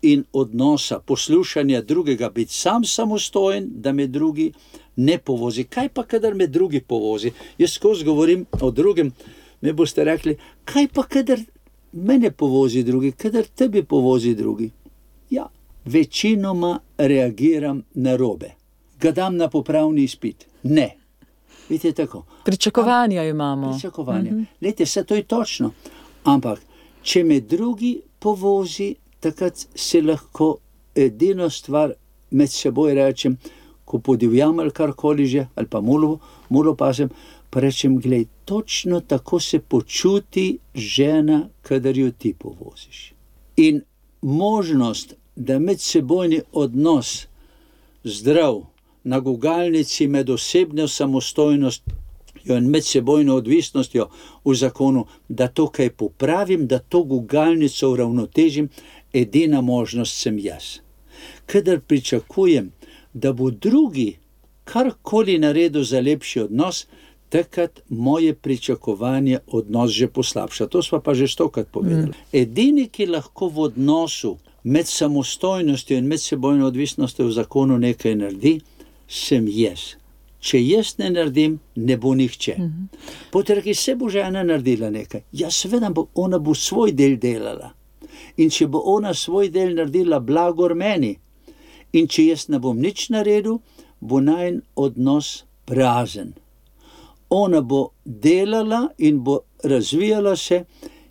in odnosa, poslušanja drugega, biti sam samostojen, da me drugi ne povozi. Kaj pa, kadar me drugi povozi? Jaz skozi govorim o drugem, me boste rekli, kaj pa, kadar mene povozi drugi, kadar tebi povozi drugi? Ja, večinoma reagiram narobe. Ga dam na popravni izpit. Ne. Vidite tako. Pričakovanja imamo. Pričakovanja. Lejte, vse to je točno. Ampak, če me drugi povozi, takrat se lahko edino stvar med seboj rečem, ko podivjam ali karkoli že, ali pa mulo pasem, pa rečem, glej, točno tako se počuti žena, kadar jo ti povoziš. In možnost, da medsebojni odnos zdrav na gugalnici med osebno samostojnostjo in medsebojno odvisnostjo v zakonu, da to kaj popravim, da to gugalnico uravnotežim, edina možnost sem jaz. Kadar pričakujem, da bo drugi karkoli naredil za lepši odnos, takrat moje pričakovanje odnos že poslabša. To sva pa že stokrat povedali. Edini, ki lahko v odnosu med samostojnostjo in medsebojno odvisnostjo v zakonu nekaj naredi, sem jaz. Če jaz ne naredim, ne bo nihče. Potreki se bo žena naredila nekaj. Ja, seveda, ona bo svoj del delala. In če bo ona svoj del naredila, blagor meni. In če jaz ne bom nič naredil, bo najin odnos prazen. Ona bo delala in bo razvijala se,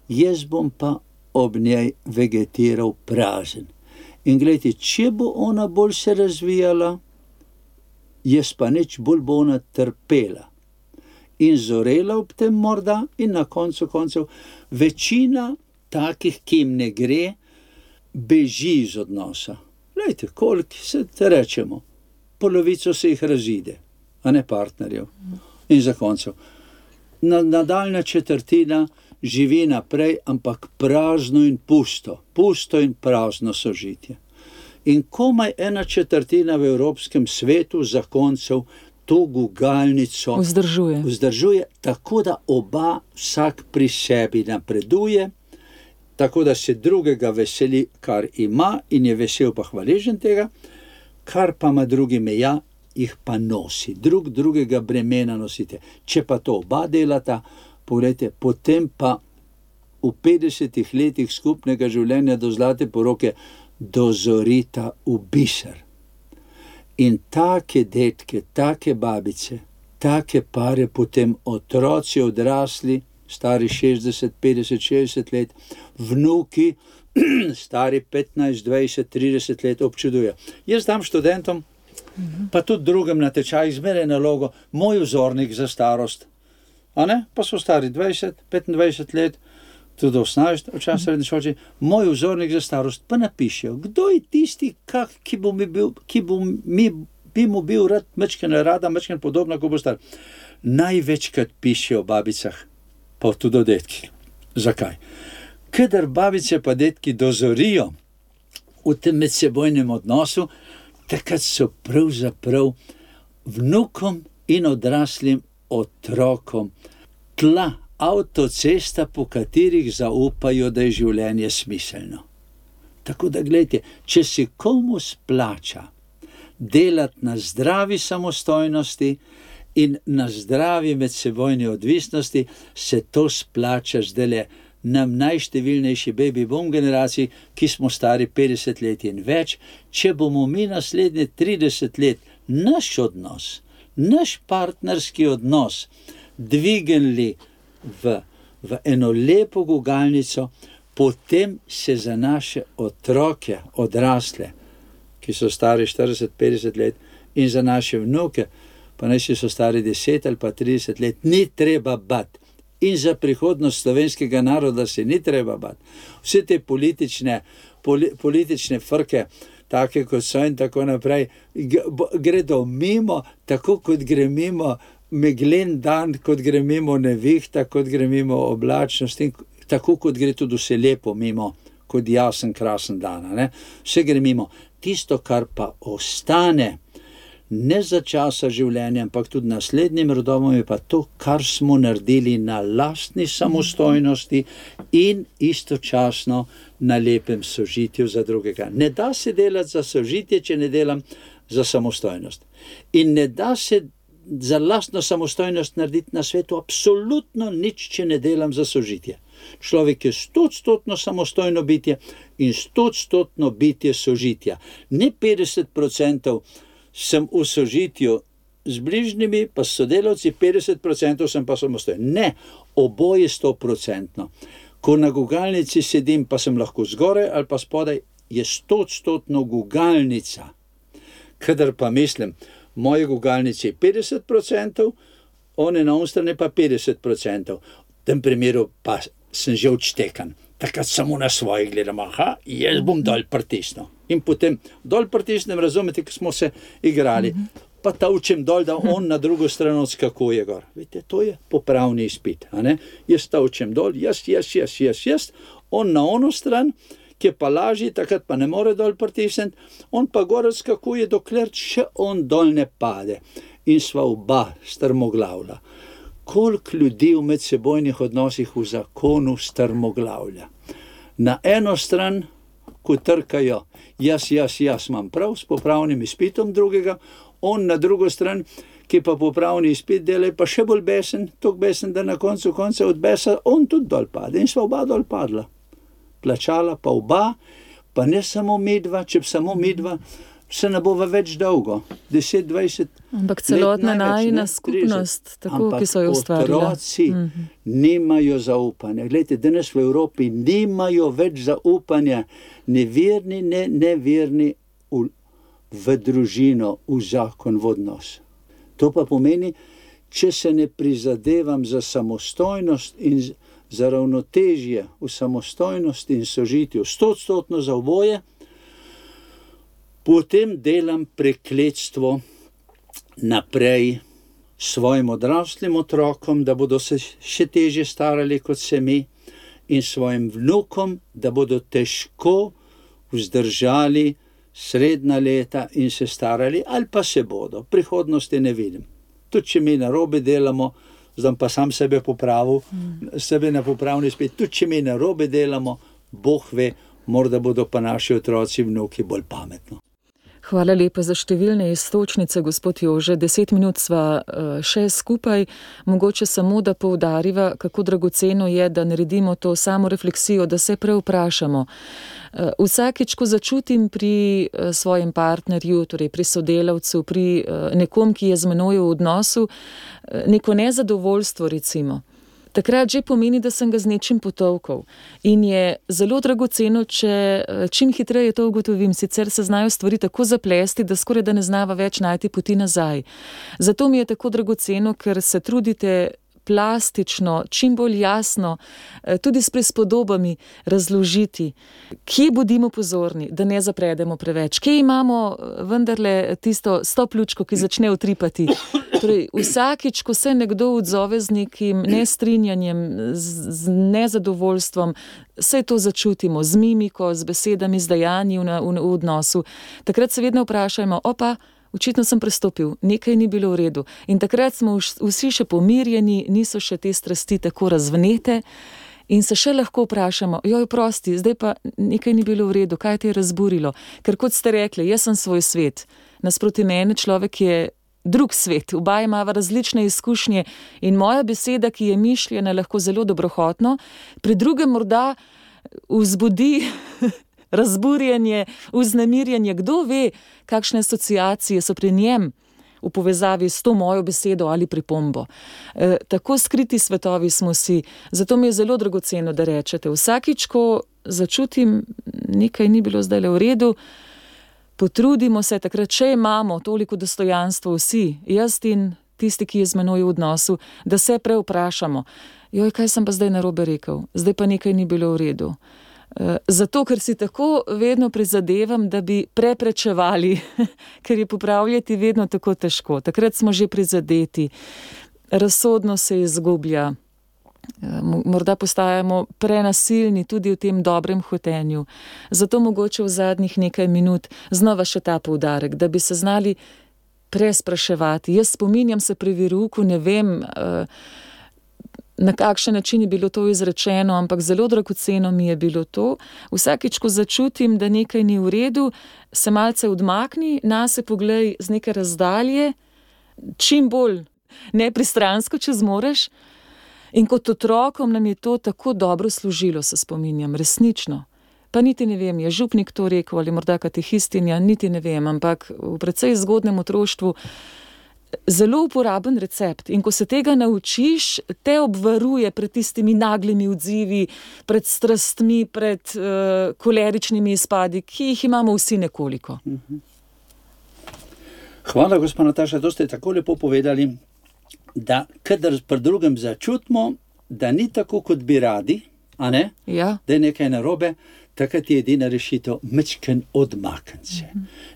jaz bom pa ob njej vegetiral prazen. In gledajte, če bo ona bolj se razvijala, jaz pa nič, bolj bo ona trpela. In zorela ob tem morda in na koncu koncev večina takih, ki jim ne gre, beži iz odnosa. Glejte, koliko se te rečemo, polovico se jih razide, a ne partnerjev. In za koncev. Nadaljna četrtina živi naprej, ampak prazno in pusto. Pusto in prazno sožitje. In komaj 1/4 v evropskem svetu zakoncev to gugalnico vzdržuje, tako da oba vsak pri sebi napreduje, tako da se drugega veseli, kar ima in je vesel pa hvaležen tega, kar pa ima drugi meja, jih pa nosi. Drugega bremena nosite. Če pa to oba delata, pogledajte, potem pa v 50 letih skupnega življenja do zlate poroke dozorita v biser. In take detke, take babice, take pare, potem otroci odrasli, stari 60, 50, 60 let, vnuki, stari 15, 20, 30 let občudujejo. Jaz dam študentom, pa tudi drugim na tečaj, zmeraj nalogo, moj vzornik za starost. A ne? Pa so stari 20, 25 let, tudi 18, včasih srednje šolci, moj vzornik za starost, pa napišejo, kdo je tisti, ki bi mu bil rad, mečken podobno, ko bo star. Največkrat pišejo o babicah, pa tudi o detkih. Zakaj? Kadar babice pa detki dozorijo v tem medsebojnem odnosu, takrat so pravzaprav vnukom in odraslim otrokom tla, avtocesta, po katerih zaupajo, da je življenje smiselno. Tako da gledajte, če se komu splača delati na zdravi samostojnosti in na zdravi medsebojni odvisnosti, se to splača zdajle nam najštevilnejši baby boom generaciji, ki smo stari 50 let in več. Če bomo mi naslednje 30 let naš odnos, naš partnerski odnos dvignili v eno lepo gugalnico, potem se za naše otroke, odrasle, ki so stari 40-50 let, in za naše vnuke, pa naj so stari 10 ali pa 30 let, ni treba bati. In za prihodnost slovenskega naroda se ni treba bati. Vse te politične frke, take kot so in tako naprej, gredo mimo, tako kot gre mimo meglen dan, kot gre mimo nevihta, kot gre mimo oblačnost, in tako kot gre tudi vse lepo mimo, kot jasen, krasen dan. Ne? Vse gre mimo. Tisto, kar pa ostane, ne za časa življenja, ampak tudi naslednjim rodovom, je pa to, kar smo naredili na lastni samostojnosti in istočasno na lepem sožitju za drugega. Ne da se delati za sožitje, če ne delam za samostojnost. In ne da se za lastno samostojnost narediti na svetu absolutno nič, če ne delam za sožitje. Človek je 100% samostojno bitje in 100% bitje sožitja. Ne 50% sem v sožitju z bližnjimi, pa s sodelavci, 50% sem pa samostojen. Ne, oboje 100%. Ko na gugalnici sedim, pa sem lahko zgoraj ali pa spodaj, je 100% gugalnica. Kadar pa mislim, moje gugalnice je 50%, one na strani pa 50%. V tem primeru pa sem že odštekan. takrat samo na svoje gledam, jaz bom dol pritisnil. In potem dol pritisnem, razumete, ko smo se igrali, pa tavčem dol, da on na drugo stran odskakuje gor. Vidite, to je popravni izpit, a ne? Jaz tavčem dol, jaz, on na ono stran, ki je pa lažji, takrat pa ne more dol pritisniti, on pa gor odskakuje, dokler še on dol ne pade. In sva oba strmoglavlja. Koliko ljudi v medsebojnih odnosih v zakonu strmoglavlja? Na eno stran, ko trkajo, jaz imam prav s popravnim izpitom drugega, on na drugo stran, ki pa popravni izpit dela, pa še bolj besen, toliko besen, da na koncu od besa on tudi dol pade. In sva oba dol padla. Plačala pa oba, pa ne samo midva, če samo midva, se ne bova več dolgo, 10-20 let. Ampak celotna najina skupnost, tako, ki so jo ustvarila. Ampak otroci nimajo zaupanja. Glejte, danes v Evropi nimajo več zaupanja, neverni, neverni v družino, v zakon, v odnos. To pa pomeni, če se ne prizadevam za samostojnost in za ravnotežje v samostojnosti in sožitju, 100% za oboje, potem delam prekletstvo naprej svojim odraslim otrokom, da bodo se še težje starali kot se mi, in svojim vnukom, da bodo težko vzdržali srednja leta in se starali, ali pa se bodo. Prihodnosti ne vidim. Tudi če mi narobe delamo, zdaj pa sam sebe popravil, sebe na popravni spet, tudi če mi narobe delamo, Bog ve, morda bodo pa naši otroci, vnuki bolj pametno. Hvala lepa za številne iztočnice, gospod Jože. 10 minut sva še skupaj. Mogoče samo, da poudariva, kako dragoceno je, da naredimo to samo refleksijo, da se prevprašamo. Vsakič, ko začutim pri svojem partnerju, torej pri sodelavcu, pri nekom, ki je z menoj v odnosu, neko nezadovoljstvo recimo, takrat že pomeni, da sem ga z nečim potolkal. In je zelo dragoceno, če čim hitreje to ugotovim, sicer se znajo stvari tako zaplesti, da skoraj da ne znava več najti poti nazaj. Zato mi je tako dragoceno, ker se trudite plastično, čim bolj jasno, tudi s prispodobami razložiti, kje bodimo pozorni, da ne zapredemo preveč, kje imamo vendarle tisto stoplučko, ki začne utripati. Torej, vsakič, ko se nekdo odzove z nekim nestrinjanjem, z nezadovoljstvom, vse to začutimo, z mimiko, z besedami, z dejanji v odnosu. Takrat se vedno vprašajmo, očitno sem prestopil, nekaj ni bilo v redu. In takrat smo vsi še pomirjeni, niso še te strasti tako razvnete in se še lahko vprašamo, prosti, zdaj pa nekaj ni bilo v redu, kaj te je razburilo? Ker kot ste rekli, jaz sem svoj svet. Nasproti mene človek je drug svet, oba imava različne izkušnje in moja beseda, ki je mišljena lahko zelo dobrohotno, pri drugem morda vzbudi razburjenje, vznemirjenje, kdo ve, kakšne asociacije so pri njem v povezavi s to mojo besedo ali pripombo. Tako skriti svetovi smo si, zato mi je zelo dragoceno, da rečete, vsakič, ko začutim, nekaj ni bilo zdaj v redu, potrudimo se takrat, če imamo toliko dostojanstva vsi, jaz in tisti, ki je z menoj v odnosu, da se prevprašamo, kaj sem pa zdaj narobe rekel, zdaj pa nekaj ni bilo v redu. Zato, ker si tako vedno prizadevam, da bi preprečevali, ker je popravljati vedno tako težko. Takrat smo že prizadeti, razsodno se izgublja, morda postajamo prenasilni tudi v tem dobrem hotenju. Zato mogoče v zadnjih nekaj minut znova še ta poudarek, da bi se znali prespraševati. Jaz spominjam se pri verouku, ne vem, na kakšen način je bilo to izrečeno, ampak zelo dragoceno mi je bilo to. Vsakič, ko začutim, da nekaj ni v redu, se malce odmakni, nase poglej z neke razdalje, čim bolj nepristransko, če zmoreš. In kot otrokom nam je to tako dobro služilo, se spominjam, resnično. Pa niti ne vem, je župnik to rekel ali morda katehistinja, niti ne vem, ampak v precej zgodnem otroštvu zelo uporaben recept. In ko se tega naučiš, te obvaruje pred tistimi naglimi odzivi, pred strastmi, pred koleričnimi izpadi, ki jih imamo vsi nekoliko. Hvala, gospa Nataša, to ste tako lepo povedali, da kadar pri drugem začutimo, da ni tako, kot bi radi, a ne? Ja. Da je nekaj narobe, takrat je edina rešitev mečken odmakniti se.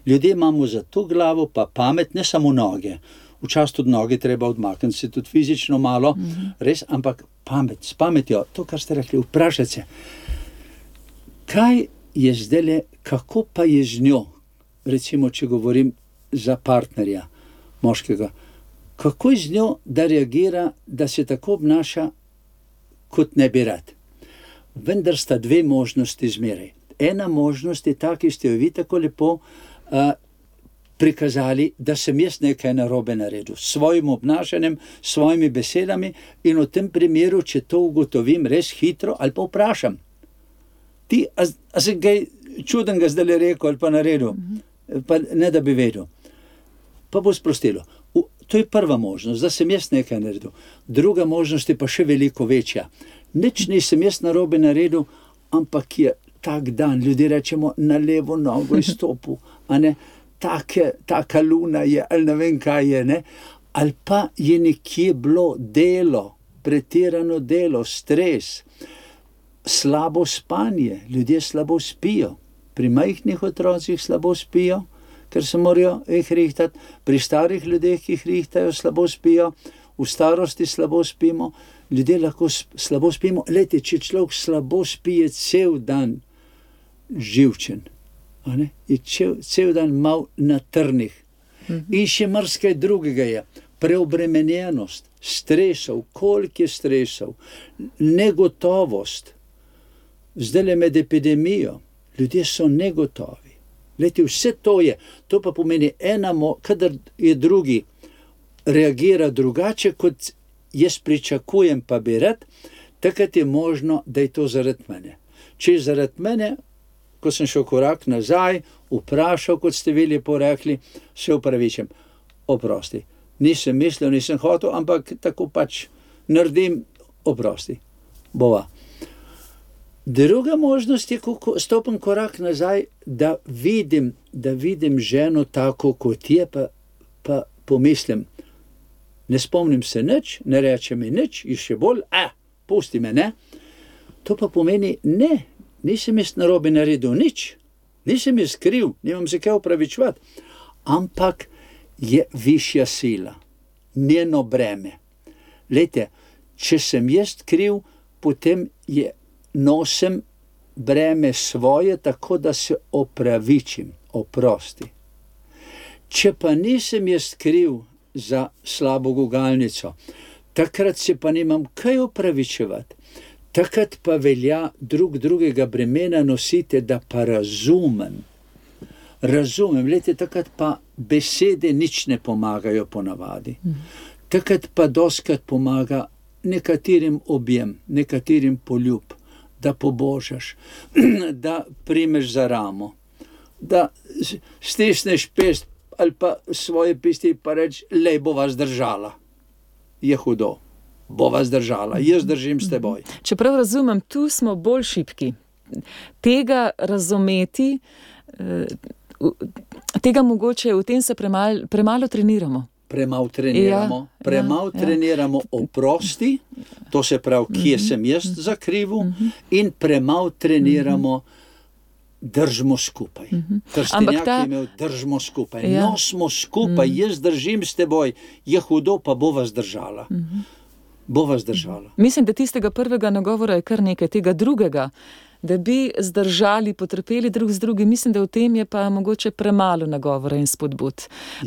Ljudje imamo za to glavo pa pamet, ne samo noge. Včasih tudi noge treba odmakniti se, tudi fizično malo, res, ampak pamet, s pametjo, to, kar ste rekli, vprašati se, kaj je zdajle, kako pa je z njo, recimo, če govorim za partnerja moškega, kako je z njo, da reagira, da se tako obnaša, kot ne bi rad. Vendar sta dve možnosti zmeraj. Ena možnost je ta, ki ste jo vi tako lepo prikazali, da sem jaz nekaj narobe naredil, s svojim obnašanjem, s svojimi besedami, in v tem primeru, če to ugotovim res hitro, ali pa vprašam, ti, a se kaj čudenega zdaj rekel ali pa naredil, pa ne da bi vedel, pa bo sprostilo. To je prva možnost, da sem jaz nekaj naredil. Druga možnost je pa še veliko večja. Nič nisem jaz narobe naredil, ampak je tak dan, ljudje rečemo, na levo nogo izstopil, a ne, taka luna je, ali ne vem kaj je, ne, ali pa je nekje bilo delo, pretirano delo, stres, slabo spanje, ljudje slabo spijo, pri majhnih otrocih slabo spijo, ker se morajo jih rihtati, pri starih ljudeh, ki jih rihtajo, slabo spijo, v starosti slabo spimo, ljudje lahko slabo spimo. Lejte, če človek slabo spije cel dan živčen, a ne? Je cel dan mal na trnih. In še marsikaj drugega je. Preobremenjenost, stresov, koliko je stresov, negotovost. Zdajle med epidemijo, ljudje so negotovi. Lejte, vse to je, to pa pomeni kadar je drugi reagira drugače, kot jaz pričakujem, pa bi rad, takrat je možno, da je to zaradi mene. Če je zaradi mene, ko sem šel korak nazaj, vprašal, kot ste vi lepo rekli, se upravičim, oprosti. Nisem mislil, nisem hotel, ampak tako pač naredim, oprosti. Bova. Druga možnost je, ko stopim korak nazaj, da vidim ženo tako, kot je, pa pomislim, ne spomnim se nič, ne reče mi nič, in še bolj, pusti me, ne? To pa pomeni, ne, nisem jaz narobe naredil nič, nisem jaz kriv, nimam se kaj opravičevati, ampak je višja sila, njeno breme. Lejte, če sem jaz kriv, potem nosim breme svoje, tako da se opravičim, oprosti. Če pa nisem jaz kriv za slabo gugalnico, takrat se pa nimam kaj opravičevati. Takrat pa velja drugega bremena nosite, da pa razumem. Lejte, takrat pa besede nič ne pomagajo ponavadi. Takrat pa dostikrat pomaga nekaterim objem, nekaterim poljub, da pobožaš, da primeš za ramo, da stisneš pest ali pa svoje pesti pa reč, lej, bova zdržala. Je hudo, bova zdržala, jaz držim s teboj. Čeprav razumem, tu smo bolj šibki. Tega razumeti, tega mogoče, v tem se premalo treniramo. Premalo treniramo oprosti, to se pravi, kje sem jaz za krivu, in premalo treniramo držimo skupaj. Krstenjak je imel držimo skupaj. No, smo skupaj, jaz držim s teboj, je hudo, pa bova zdržala. Bova zdržala. Mislim, da tistega prvega nagovora je kar nekaj, tega drugega, da bi zdržali, potrpeli drug z drugim. Mislim, da v tem je pa mogoče premalo nagovora in spodbud.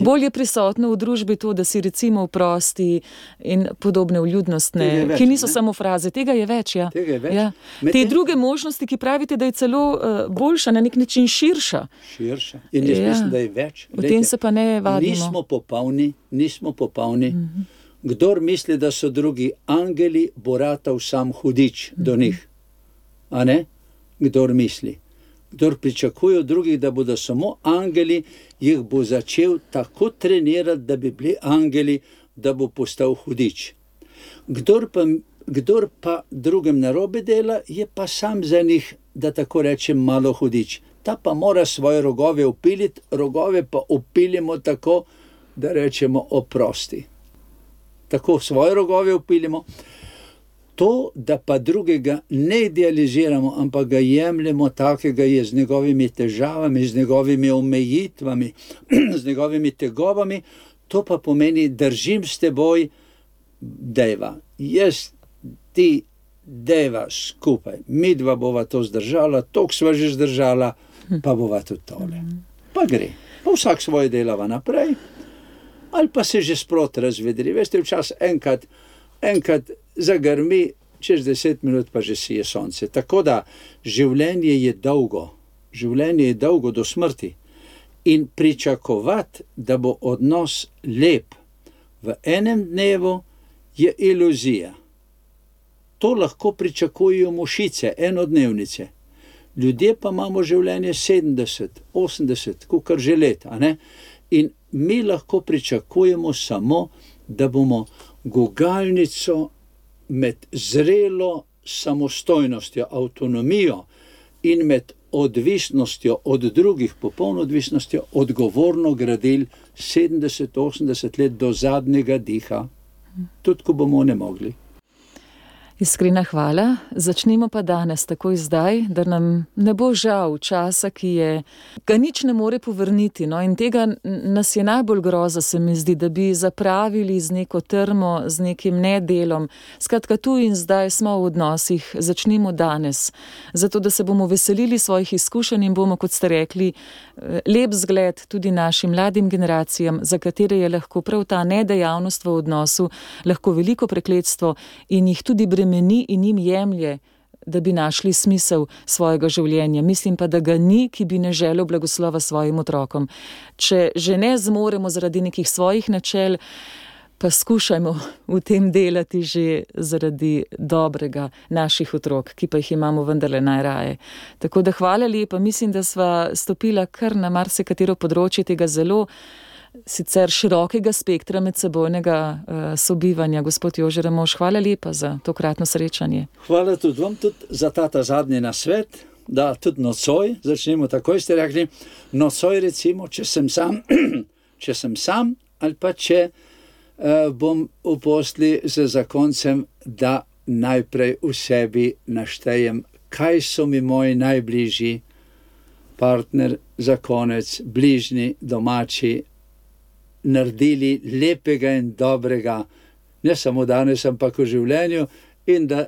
Bolj je prisotno v družbi to, da si recimo oprosti in podobne vljudnostne, ki niso samo fraze. Tega je več, ja. Tega je več. Ja. Te druge možnosti, ki pravite, da je celo boljša, na nek način širša. In jaz mislim, da je več. V tem se pa ne vadimo. Nismo popolni. Kdor misli, da so drugi angeli, bo ratal sam hudič do njih. A ne? Kdor misli. Kdor pričakuje od drugih, da bodo samo angeli, jih bo začel tako trenirati, da bi bili angeli, da bo postal hudič. Kdor pa drugim narobe dela, je pa sam za njih, da tako rečem, malo hudič. Ta pa mora svoje rogove upiliti, rogove pa upilimo tako, da rečemo oprosti. Tako svoje rogove upilimo. To, da pa drugega ne idealiziramo, ampak ga jemljemo takega je z njegovimi težavami, z njegovimi omejitvami, z njegovimi tegobami, to pa pomeni, držim s teboj, dejva. Jaz, ti, dejva skupaj. Midva bova to zdržala, toliko sva že zdržala, pa bova tudi tole. Pa gre. Pa vsak svoje delava naprej, ali pa se že sproti razvedri. Veste, včas enkrat zagrmi, čez 10 minut pa že sije sonce. Tako da življenje je dolgo do smrti in pričakovati, da bo odnos lep v enem dnevu, je iluzija. To lahko pričakujejo mušice, enodnevnice. Ljudje pa imamo življenje 70, 80, kakor že let, a ne? In mi lahko pričakujemo samo, da bomo gugalnico med zrelo samostojnostjo, avtonomijo in med odvisnostjo od drugih, popolno odvisnostjo, odgovorno gradili 70, 80 let do zadnjega diha, tudi ko bomo ne mogli. Iskrena hvala. Začnimo pa danes, takoj zdaj, da nam ne bo žal časa, ki ga nič ne more povrniti. No? In tega nas je najbolj groza, se mi zdi, da bi zapravili z neko trmo, z nekim nedelom. Skratka, tu in zdaj smo v odnosih, začnimo danes. Zato, da se bomo veselili svojih izkušenj in bomo, kot ste rekli, lep zgled tudi našim mladim generacijam, za katere je lahko prav ta nedejavnost v odnosu lahko veliko prekletstvo in jih tudi bremeni in jim jemlje, da bi našli smisel svojega življenja. Mislim pa, da ga ni, ki bi ne želel blagoslova svojim otrokom. Če že ne zmoremo zaradi nekih svojih načel, pa skušajmo v tem delati že zaradi dobrega naših otrok, ki pa jih imamo vendarle najraje. Tako da hvala lepa, mislim, da sva stopila kar na marsikatero področje tega zelo sicer širokega spektra medsebojnega sobivanja. Gospod Jože Ramovš, hvala lepa za tokratno srečanje. Hvala tudi vam, tudi za ta zadnji nasvet, da tudi nocoj, začnemo takoj, ste rekli, nocoj recimo, če sem sam ali pa če bom v posli z zakoncem, da najprej v sebi naštejem, kaj so mi moji najbližji, partner, zakonec, bližnji, domači, naredili lepega in dobrega, ne samo danes, ampak v življenju, in da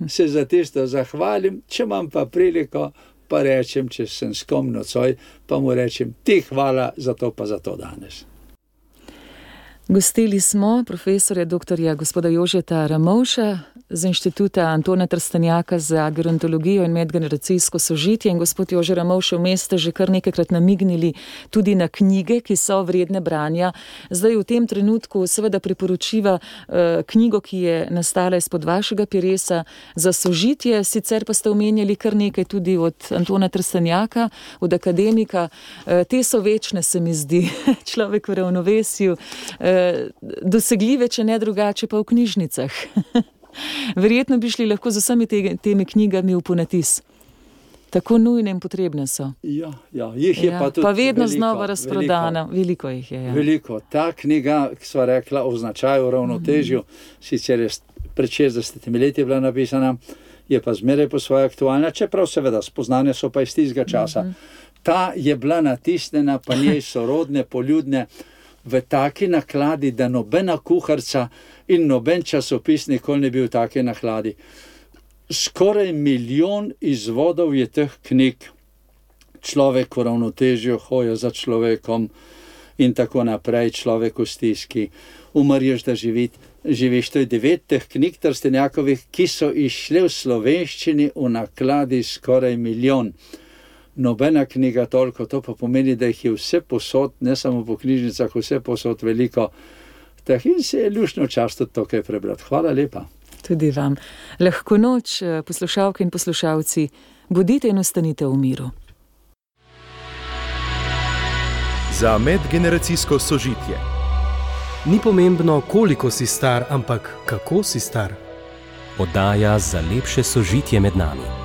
se za tisto zahvalim, če imam pa priliko, pa rečem, če sem s kom nocoj, pa mu rečem, ti hvala za to pa za to danes. Gostili smo profesorja doktorja gospoda Jožeta Ramovša z Inštituta Antona Trstenjaka za gerontologijo in medgeneracijsko sožitje. In gospod Jože Ramovš, vmes ste že kar nekajkrat namignili tudi na knjige, ki so vredne branja. Zdaj v tem trenutku seveda priporočiva knjigo, ki je nastala izpod vašega peresa za sožitje, sicer pa ste omenjali kar nekaj tudi od Antona Trstenjaka, od akademika. Te so večne, se mi zdi, človek v ravnovesju, dosegljive, če ne drugače, pa v knjižnicah. Verjetno bi šli lahko z vsemi temi knjigami v ponatis. Tako nujne in potrebne so. Ja, jih je pa tudi pa vedno veliko, znova razprodana. Veliko jih je. Ja. Veliko. Ta knjiga, ki sva rekla o značaju, ravnotežju, sicer je pred 60 leti bila napisana, je pa zmeraj po svoje aktualna, čeprav seveda spoznanja so pa iz tistega časa. Ta je bila natisnjena, pa njej sorodne, poljudne, v taki nakladi, da nobena kuharca in noben časopis nikoli ne bil v taki nakladi. Skoraj 1 milijon izvodov je teh knjig, človek v ravnotežju, hoja za človekom in tako naprej, človek v stiski, umrješ, da živiš. To je 9 teh knjig Trstenjakovih, ki so išle v slovenščini v nakladi skoraj 1 milijon. Nobena knjiga toliko, to pa pomeni, da jih je vse posod, ne samo po knjižnicah, vse posod veliko. In se je luštno čast tudi to kaj prebrati. Hvala lepa. Tudi vam. Lahko noč, poslušalke in poslušalci, bodite in ostanite v miru. Za medgeneracijsko sožitje. Ni pomembno, koliko si star, ampak kako si star. Oddaja za lepše sožitje med nami.